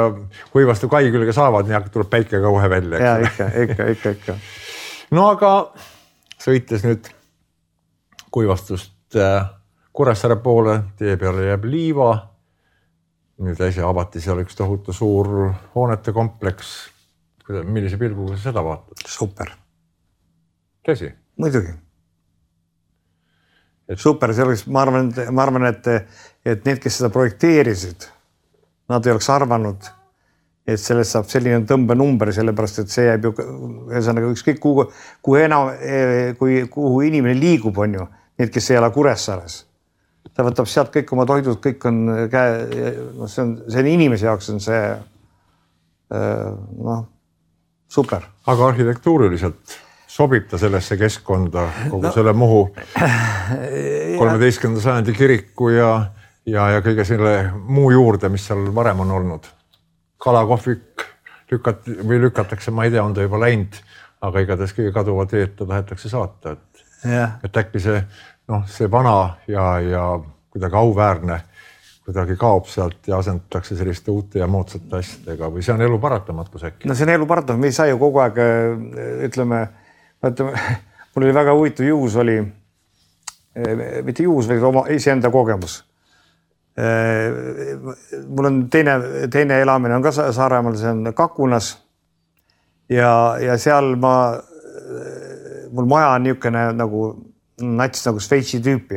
kuivastu kai külge saavad, nii tuleb päike ka kohe välja. Ja ikka, ikka, ikka, ikka. No aga sõites nüüd kuivastust Kuressaare poole, tee peale jääb Liiva. Nüüd äsja avati seal üks tohutu suur hoonete kompleks. Millise pilguga sa seda vaatad? Super. Tõsi? Muidugi. Et... Super, see oleks, ma arvan, ma arvan, et, et need, kes seda projekteerisid, nad ei oleks arvanud, et sellest saab selline tõmbenumber, sellepärast, et see jääb ju ühesõnaga ükskõik kuhu, kuhu, enam, kui, kuhu inimene liigub, on ju, need, kes ei ole Kuressaares. Ta võtab sealt kõik oma toidud, kõik on käe, no see on, see on inimese jaoks on see noh, super. Aga arhitektuuriliselt sobib ta sellesse keskkonda kogu no. selle Muhu kolmeteistkümnenda sajandi kiriku ja, ja, ja kõige selle muu juurde, mis seal varem on olnud. Kalakohvik lükat, või lükatakse, ma ei tea, on ta juba läinud, aga igatahes kõige kaduva teed ta tahetakse saata. Et, et äkki see noh, see vana ja, ja kuidagi auväärne kuidagi kaob sealt ja asendatakse selliste uute ja moodsate asjadega või see on elu paratamatus äkki? No see on elu paratamatus, me ei saa ju kogu aeg, ütleme, ütleme mul oli väga huvitav juhus oli, mitte juhus, vaid oma iseenda kogemus. Mul on teine, teine elamine on ka Saaremaal, see on Kakunas ja, ja seal ma, mul maja on niisugune nagu nats nagu Šveitsi tüüpi.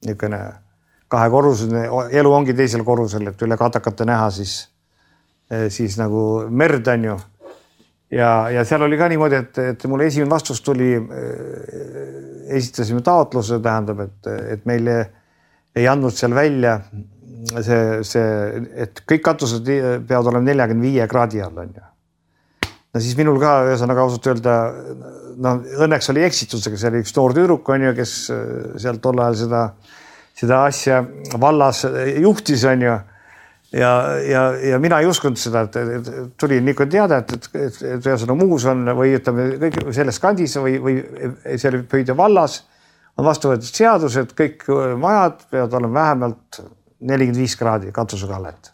Niisugune kahekorruseline, elu ongi teisel korrusel, et üle katakate näha siis, siis nagu merd on ju. Ja, ja seal oli ka niimoodi, et, et mul esimene vastus tuli, esitasime taotluse, tähendab, et, et meile ei andnud seal välja see, see, et kõik katused peavad olema nelikümmend viie kraadi all on ju. No siis minul ka ühesõnaga ausalt öelda, no õnneks oli eksitusega, see oli üks noor tüdruk on ju, kes seal tol ajal seda, seda asja vallas juhtis on ju. Ja, ja, ja mina ei uskunud seda, et, et tuli niisugune teada, et, et, et, et ühesõnaga muus on või ütleme kõik selles kandis või, või see oli Pöide vallas on vastu võetud seadus, et kõik majad peavad olema vähemalt nelikümmend viis kraadi katuskallet.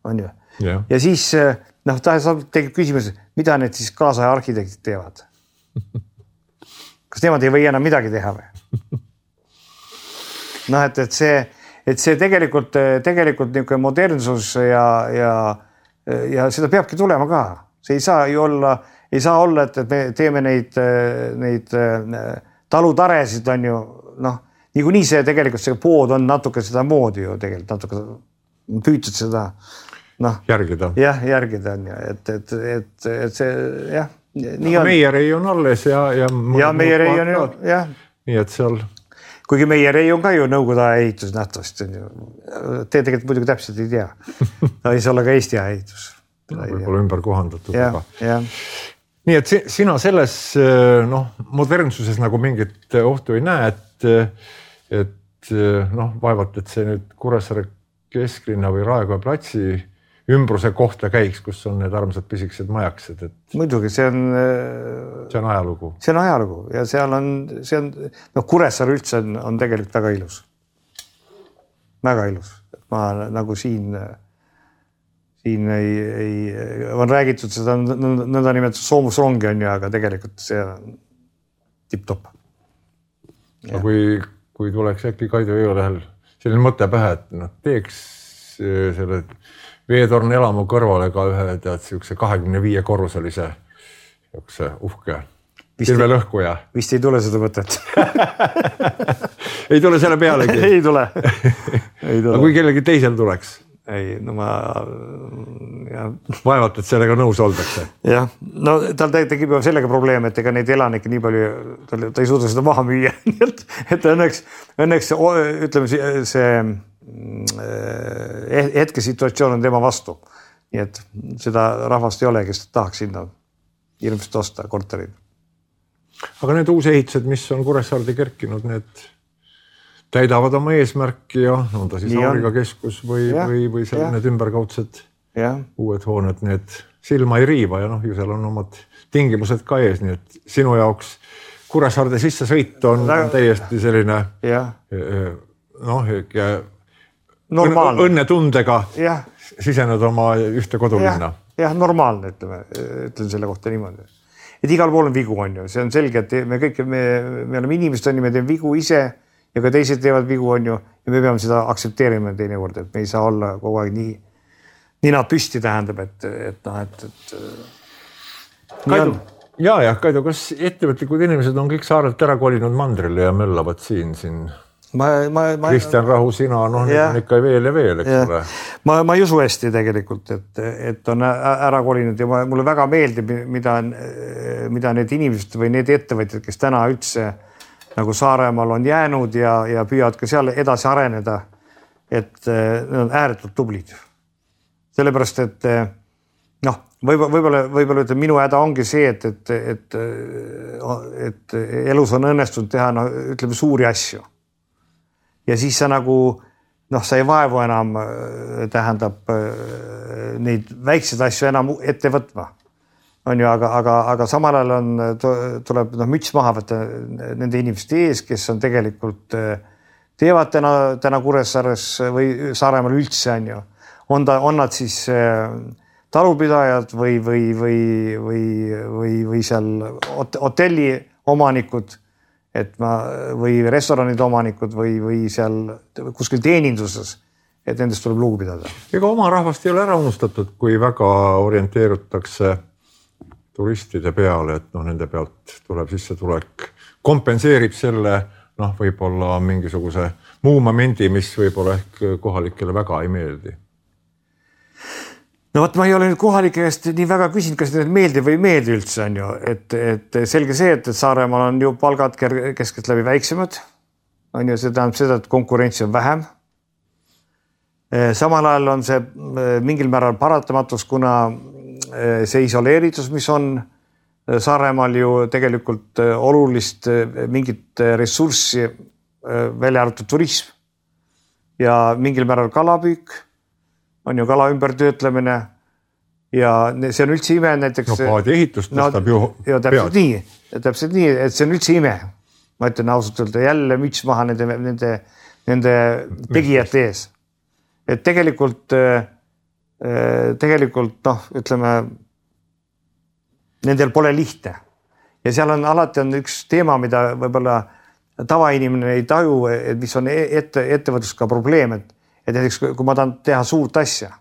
On ju? Ja, ja siis noh, ta tegib küsimus, mida need siis kaasaja arhitektid teevad? Kas nemad ei või enam midagi teha või? Noh, et, et see, et see tegelikult, tegelikult niisugune modernsus ja, ja, ja seda peabki tulema ka. See ei saa ju olla, ei saa olla, et, et me teeme neid, neid talutaresid on ju, noh, niikuinii see tegelikult see pood on natuke seda moodi ju tegelikult, natuke püütud seda noh, järgida. Jah, järgida on ju, et, et, et, et see jah, nii on. Meierei on alles ja, ja, ja Meierei on ju, jah. Nii et seal. Kuigi Meierei on ka ju nõukogude aja ehitus nähtavast. Te tegelikult muidugi täpselt ei tea. Ta ei saa olla ka Eesti aja ehitus. Võib-olla ümber kohandatud. Ja, ja. Nii et sina selles noh, modernsuses nagu mingit ohtu ei näe, et, et noh, vaevalt, et see nüüd Kuressaare kesklinna või Raekoja platsi ümbruse kohta käiks, kus on need armsad pisikesed majaksed. Et... Muidugi, see on... See on ajalugu. See on ajalugu ja seal on, see on, no Kuressaare üldse on, on tegelikult väga ilus. Väga ilus. Ma nagu siin, siin ei, ei, on räägitud seda nõnda nimetatud soomusrongi on ju, aga tegelikult see on tipp-top. Aga kui, kui tuleks äkki Kaido Jõelähel selline mõte pähe, et noh, teeks selle veetorn elamu kõrvale ka ühe tead siukse kahekümne viie korruselise siukse uhke pilvelõhkuja. Vist ei tule seda mõtet. ei tule selle pealegi. ei tule. Ei tule. Aga kui kellegi teisel tuleks? Ei, no ma... Ja. Vaevalt, et sellega nõus oldakse. Jah, no tal tekib juba sellega probleem, et ega neid elanikke nii palju, ta, ta ei suuda seda maha müüa. et, et õnneks, õnneks ütleme see hetke situatsioon on tema vastu. Nii et seda rahvast ei ole, kes tahaks sinna hirmsasti osta korterid. Aga need uus ehitused, mis on Kuressaarde kerkinud, need täidavad oma eesmärki ja on ta siis Auriga keskus või, ja, või, või seal need ümberkaudsed ja. Uued hooned, need silma ei riiva ja noh, ju seal on omad tingimused ka ees, nii et sinu jaoks Kuressaarde sisse sõit on, on täiesti selline ja. Noh, normaalne. Õnnetundega ja. Sisened oma ühte kodulinna. Jah, ja, normaalne, ütleme, ütlen selle kohta niimoodi. Et igal pool on vigu, on ju, see on selge, et me kõik, me, me oleme inimesed, on ju, me teeme vigu ise ja ka teised teevad vigu, on ju, ja me peame seda aktsepteerima teine kord, et me ei saa olla kogu aeg nii, nii nad püsti tähendab, et, et noh, et, et Kaidu, ja, ja, Kaidu, kas ettevõtlikud inimesed on kõik saarelt ära kolinud mandrile ja möllavad siin, siin ma, ma, ma, Kristjan Rahu, sina, noh, nüüd on ikka veel ja veel, eks ole. Ma, ma ei usu hästi tegelikult, et, et on ära kolinud ja ma, mulle väga meeldib, mida, mida need inimesed või need ettevõtjad, kes täna üldse nagu Saaremaal on jäänud ja, ja püüavad ka seal edasi areneda, et nad on ääretult tublid. Sellepärast, et noh, võib-olla, võib-olla, võib-olla ütleme, minu häda ongi see, et, et, et, et elus on õnnestunud teha, no, ütleme, suuri asju. Ja siis sa nagu, noh, sa ei vaevu enam, tähendab, neid väikseid asju enam ette võtma. On ju, aga, aga, aga samal ajal on, tuleb no, müts maha võtta nende inimeste ees, kes on tegelikult teevad täna, täna Kuressaares või Saaremaal üldse, on ju. On, ta, on nad siis talupidajad või, või, või, või, või, või seal hotelli omanikud, et ma, või restoranide omanikud või, või seal kuskil teeninduses, et nendest tuleb lugu pidada. Ega oma rahvast ei ole ära unustatud, kui väga orienteerutakse turistide peale, et noh, nende pealt tuleb sissetulek, kompenseerib selle, noh, võib-olla mingisuguse muu momendi, mis võib-olla ehk kohalikele väga ei meeldi. No võt, ma ei ole nüüd kohalike käest nii väga küsinud, kas need meeldi või meeldi üldse on ju, et, et selge see, et, et Saaremaal on ju palgad keskelt läbi väiksemad, on ju, see tähendab seda, et konkurentsi on vähem. Samal ajal on see mingil määral paratamatus, kuna see isoleeritus, mis on Saaremaal ju tegelikult olulist mingit ressurssi välja arvatud turism ja mingil määral kalapüük, on ju kala ümbertöötlemine ja see on üldse ime näiteks. No paadi ehitust tõstab no, ju ja täpselt nii, täpselt nii, et see on üldse ime. Ma ütlen ausalt öelda jälle müts maha nende, nende, nende tegijate ees. Et tegelikult tegelikult noh, ütleme nendel pole lihtne ja seal on alati on üks teema, mida võib-olla tavainimene ei taju, et mis on ette, ettevõtlus ka probleem, et, et näiteks kui ma tahan teha suurt asja,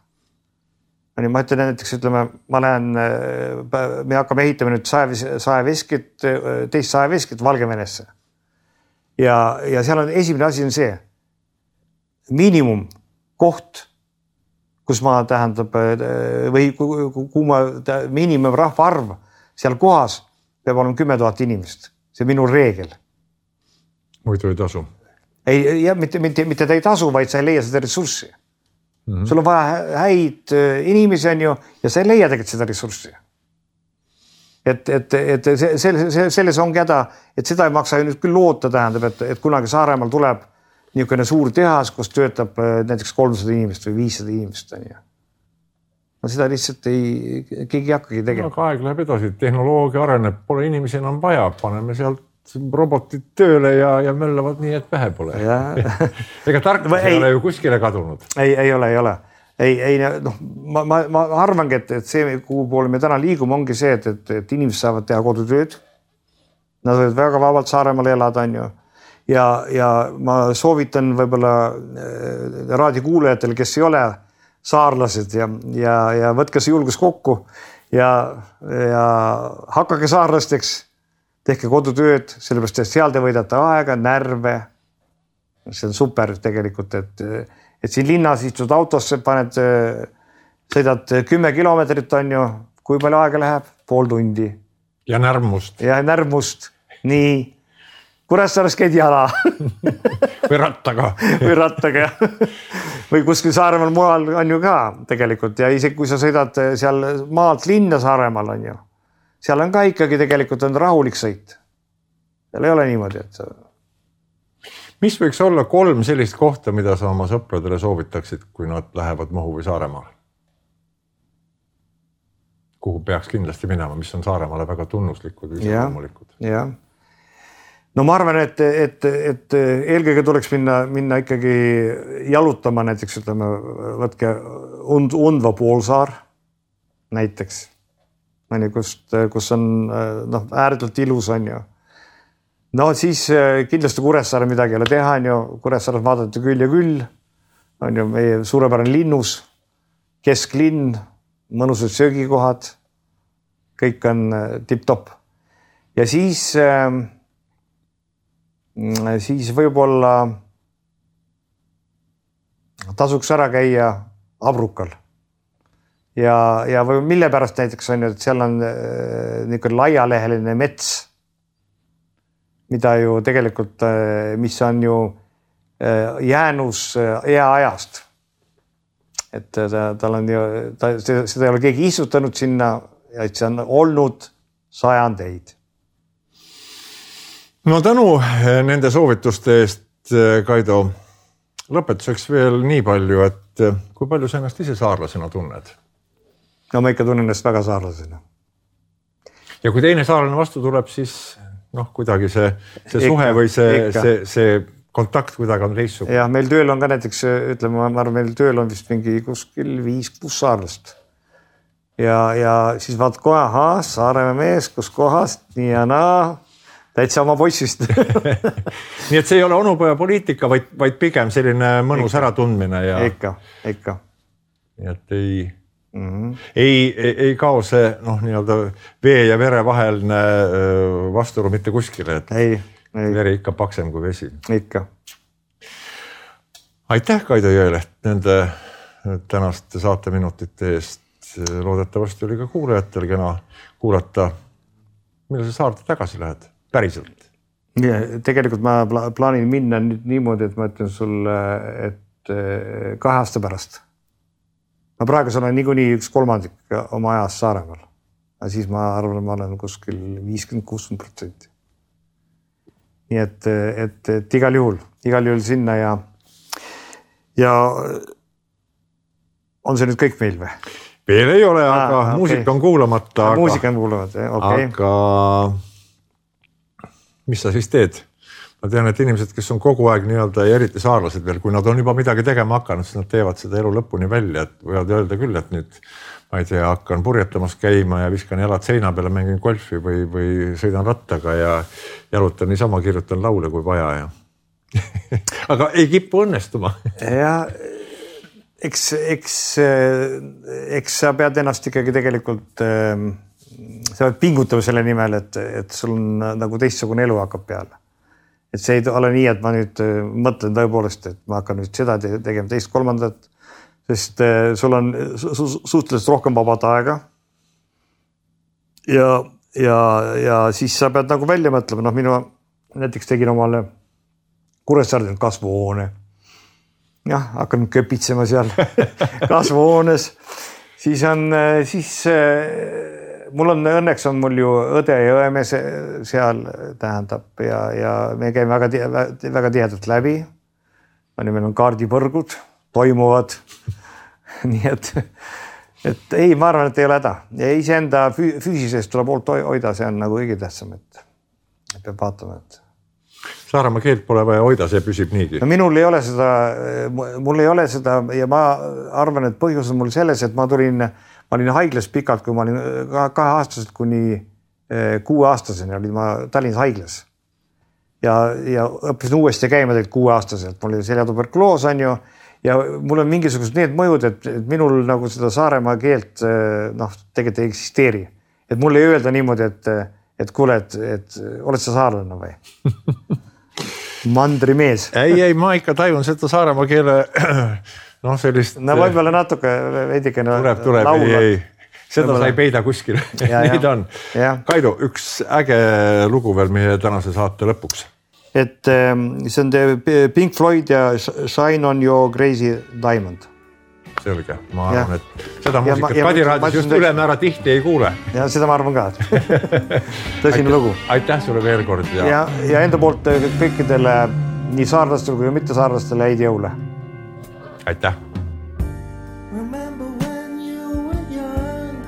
ma ütlen näiteks, ütleme, ma lähen, me hakkame ehitama nüüd saeveskit, teist saeveskit Valgevenesse ja, ja seal on esimene asi on see miinimum koht, kus ma tähendab või kui ma miinimum rahvaarv seal kohas peab olema kümme tuhat inimest. See on minu reegel. Muidu ei tasu. Ei, ja mitte, mitte, mitte ta ei tasu, vaid sa ei leia seda ressurssi. Mm-hmm. Sul on vaja häid inimesi on ju ja sa ei leia tegelikult seda ressurssi. Et, et, et see, selles ongi häda, et seda ei maksa ju nüüd küll loota tähendab, et, et kunagi Saaremaal tuleb niisugune suur tehas, kus töötab näiteks kolmsada inimest või viissada inimest. No seda lihtsalt ei, keegi hakkagi tegema. No, aeg läheb edasi, tehnoloogia areneb, pole inimesi enam vaja, paneme sealt robotid tööle ja, ja möllavad nii, et vähe pole. Ega tarkus ei ole ju kuskile kadunud. Ei, ei ole, ei ole. Ei, ei, noh, ma, ma, ma arvangi, et, et see, kuhu poole me täna liigume, ongi see, et, et, et inimesed saavad teha kodutööd. Nad võivad väga vabalt Saaremaal elada, on ju. ja, ja ma soovitan võib-olla raadiokuulajatel, kes ei ole saarlased ja, ja, ja võtke see julgus kokku ja, ja hakkage saarlasteks, tehke kodutööd, sellepärast, et seal te võidate aega, närve. See on super tegelikult, et, et siin linnas istud autosse, paned, sõidad kümme kilomeetrit, on ju, kui palju aega läheb? Pool tundi. Ja närmust. Ja närmust. Nii. Kuressaares käid jala. või rattaga. või rattaga. või kuskil Saaremaal mujal on ju ka tegelikult ja isegi kui sa sõidad seal maalt linna Saaremaal on ju, seal on ka ikkagi tegelikult on rahulik sõit. Seal ei ole niimoodi, et sa... Mis võiks olla kolm sellist kohta, mida sa oma sõpradele soovitaksid, kui nad lähevad Muhu või Saaremaale? Kuhu peaks kindlasti minema, mis on Saaremaale väga tunnuslikud või loomulikud? Jah. No ma arvan, et, et, et eelkõige tuleks minna, minna ikkagi jalutama näiteks, ütleme, võtke und, Undva poolsaar näiteks, kus, kus on no, ääretult ilus on ju. No siis kindlasti Kuressaare midagi ei ole teha, on ju, Kuressaares vaadata küll ja küll, on ju meie suurepärane linnus, kesklinn, mõnusad söögikohad, kõik on tipp-topp. Ja siis, siis võib-olla tasuks ära käia Abrukal. Ja, ja või mille pärast näiteks on, et seal on niisugune laialeheline mets, mida ju tegelikult, mis on ju jäänus eaajast. Et ta, tal on ju, ta, seda ei ole keegi istutanud sinna, et see on olnud sajandeid. No tänu nende soovituste eest, Kaido, lõpetuseks veel nii palju, et kui palju sa ennast ise saarlasena tunned? No ma ikka tunnen ennast väga saarlasena. Ja kui teine saarlane vastu tuleb, siis noh, kuidagi see, see ikka, suhe või see, see, see kontakt kuidagi on teissug. Ja meil tööl on ka näiteks, ütleme, ma arvan, meil tööl on vist mingi kuskil viis kuus saarlast. Ja, ja siis vaat kohe, aha, Saaremaa mees, kus kohast, nii ja naa, täitsa oma poissist. Nii et see ei ole onupoja poliitika, vaid, vaid pigem selline mõnus ikka, äratundmine. Ja... Ikka, ikka. Nii et ei... Mm-hmm. Ei, ei, ei kao see noh, nii-öelda vee ja vere vaheline vasturu mitte kuskile, et ei, ei. Veri ikka paksem kui vesi. Ikka. Aitäh, Kaido Jõeleht, nende tänaste saateminutite eest. Loodetavasti oli ka kuulajatel kena kuulata, mille sa saarte tagasi lähed päriselt. Ja, tegelikult ma plaanin minna nüüd niimoodi, et ma ütlen sulle, et kahe aasta pärast. Ma praegu olen niikuinii üks kolmandik oma ajast Saaremaal. Ja siis ma arvan, et ma olen kuskil viiskümmend kuuskümmend protsenti. Nii et, et, et igal juhul, igal juhul sinna ja, ja on see nüüd kõik meil või? Veel ei ole, aga ah, okay. Muusika on kuulamata. Aga, muusika on kuulamata, okei. Okay. Aga mis sa siis teed? Ma tean, et inimesed, kes on kogu aeg nii-öelda ja eriti saarlased veel, kui nad on juba midagi tegema hakanud, siis nad teevad seda elu lõpuni välja, et võivad öelda küll, et nüüd ma ei tea, hakkan purjetamas käima ja viskan jalad seina peale, mängin golfi või, või sõidan rattaga ja jalutan niisama, kirjutan laule kui vaja. Ja. aga ei kippu õnnestuma. ja eks, eks, eks sa pead ennast ikkagi tegelikult, sa pead pingutama selle nimel, et, et sul on nagu teistsugune elu hakkab peale. Et see ei ole nii, et ma nüüd mõtlen tõepoolest, et ma hakkan nüüd seda tegema teist kolmandat, sest sul on su suhteliselt rohkem vabad aega. Ja, ja, ja siis sa pead nagu välja mõtlema. Noh, minu näiteks tegin omale Kuressaarel kasvuhoone. Jah, hakkan köpitsema seal kasvuhoones. Siis on, siis mul on, õnneks on mul ju õde ja õemees seal tähendab ja, ja me käime väga, väga tihedalt läbi. Meil on kaardipõrgud, toimuvad. Nii et, et ei, ma arvan, et ei ole häda. Ja iseenda füüsisest tuleb poolt hoida, see on nagu kõige tähtsam, et peab vaatama, et Saaremaa keelt pole vaja hoida, see püsib niigi. No minul ei ole seda, mul ei ole seda ja ma arvan, et põhjus on mul selles, et ma tulin, ma olin haiglas pikalt, kui ma olin kahe aastaselt kuni kuue aastaseni olin ma Tallinnas haiglas. ja, ja õppisin uuesti käima tegelikult kuueaastaselt, mul oli seljatuberkuloos on ju ja mul on mingisugused need mõjud, et, et minul nagu seda Saaremaa keelt noh, tegelikult ei eksisteeri. Et mulle ei öelda niimoodi, et, et kuule, et, et oled sa saarlane või? Mandrimees. ei, ei, ma ikka tajun seda Saaremaa keele noh, sellist... No võib-olla natuke veidike tuleb, tuleb, ei, ei. Seda võib-olla... sa ei peida kuskil. Neid on. Ja. Kaido, üks äge lugu veel meie tänase saate lõpuks. Et see on Pink Floyd ja Shine on Your Crazy Diamond. Selge, ma arvan, et seda muusikat Kadiraadis just ülemäära tihti ei kuule. Ja seda ma arvan ka. Tõsine lugu. Aitäh sulle veel kord. Ja, ja, ja enda poolt kõikidele nii saarlastele kui mitte saarlastele häid jõule. Aitäh. Remember when you were young,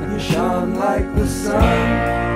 you shone like the sun.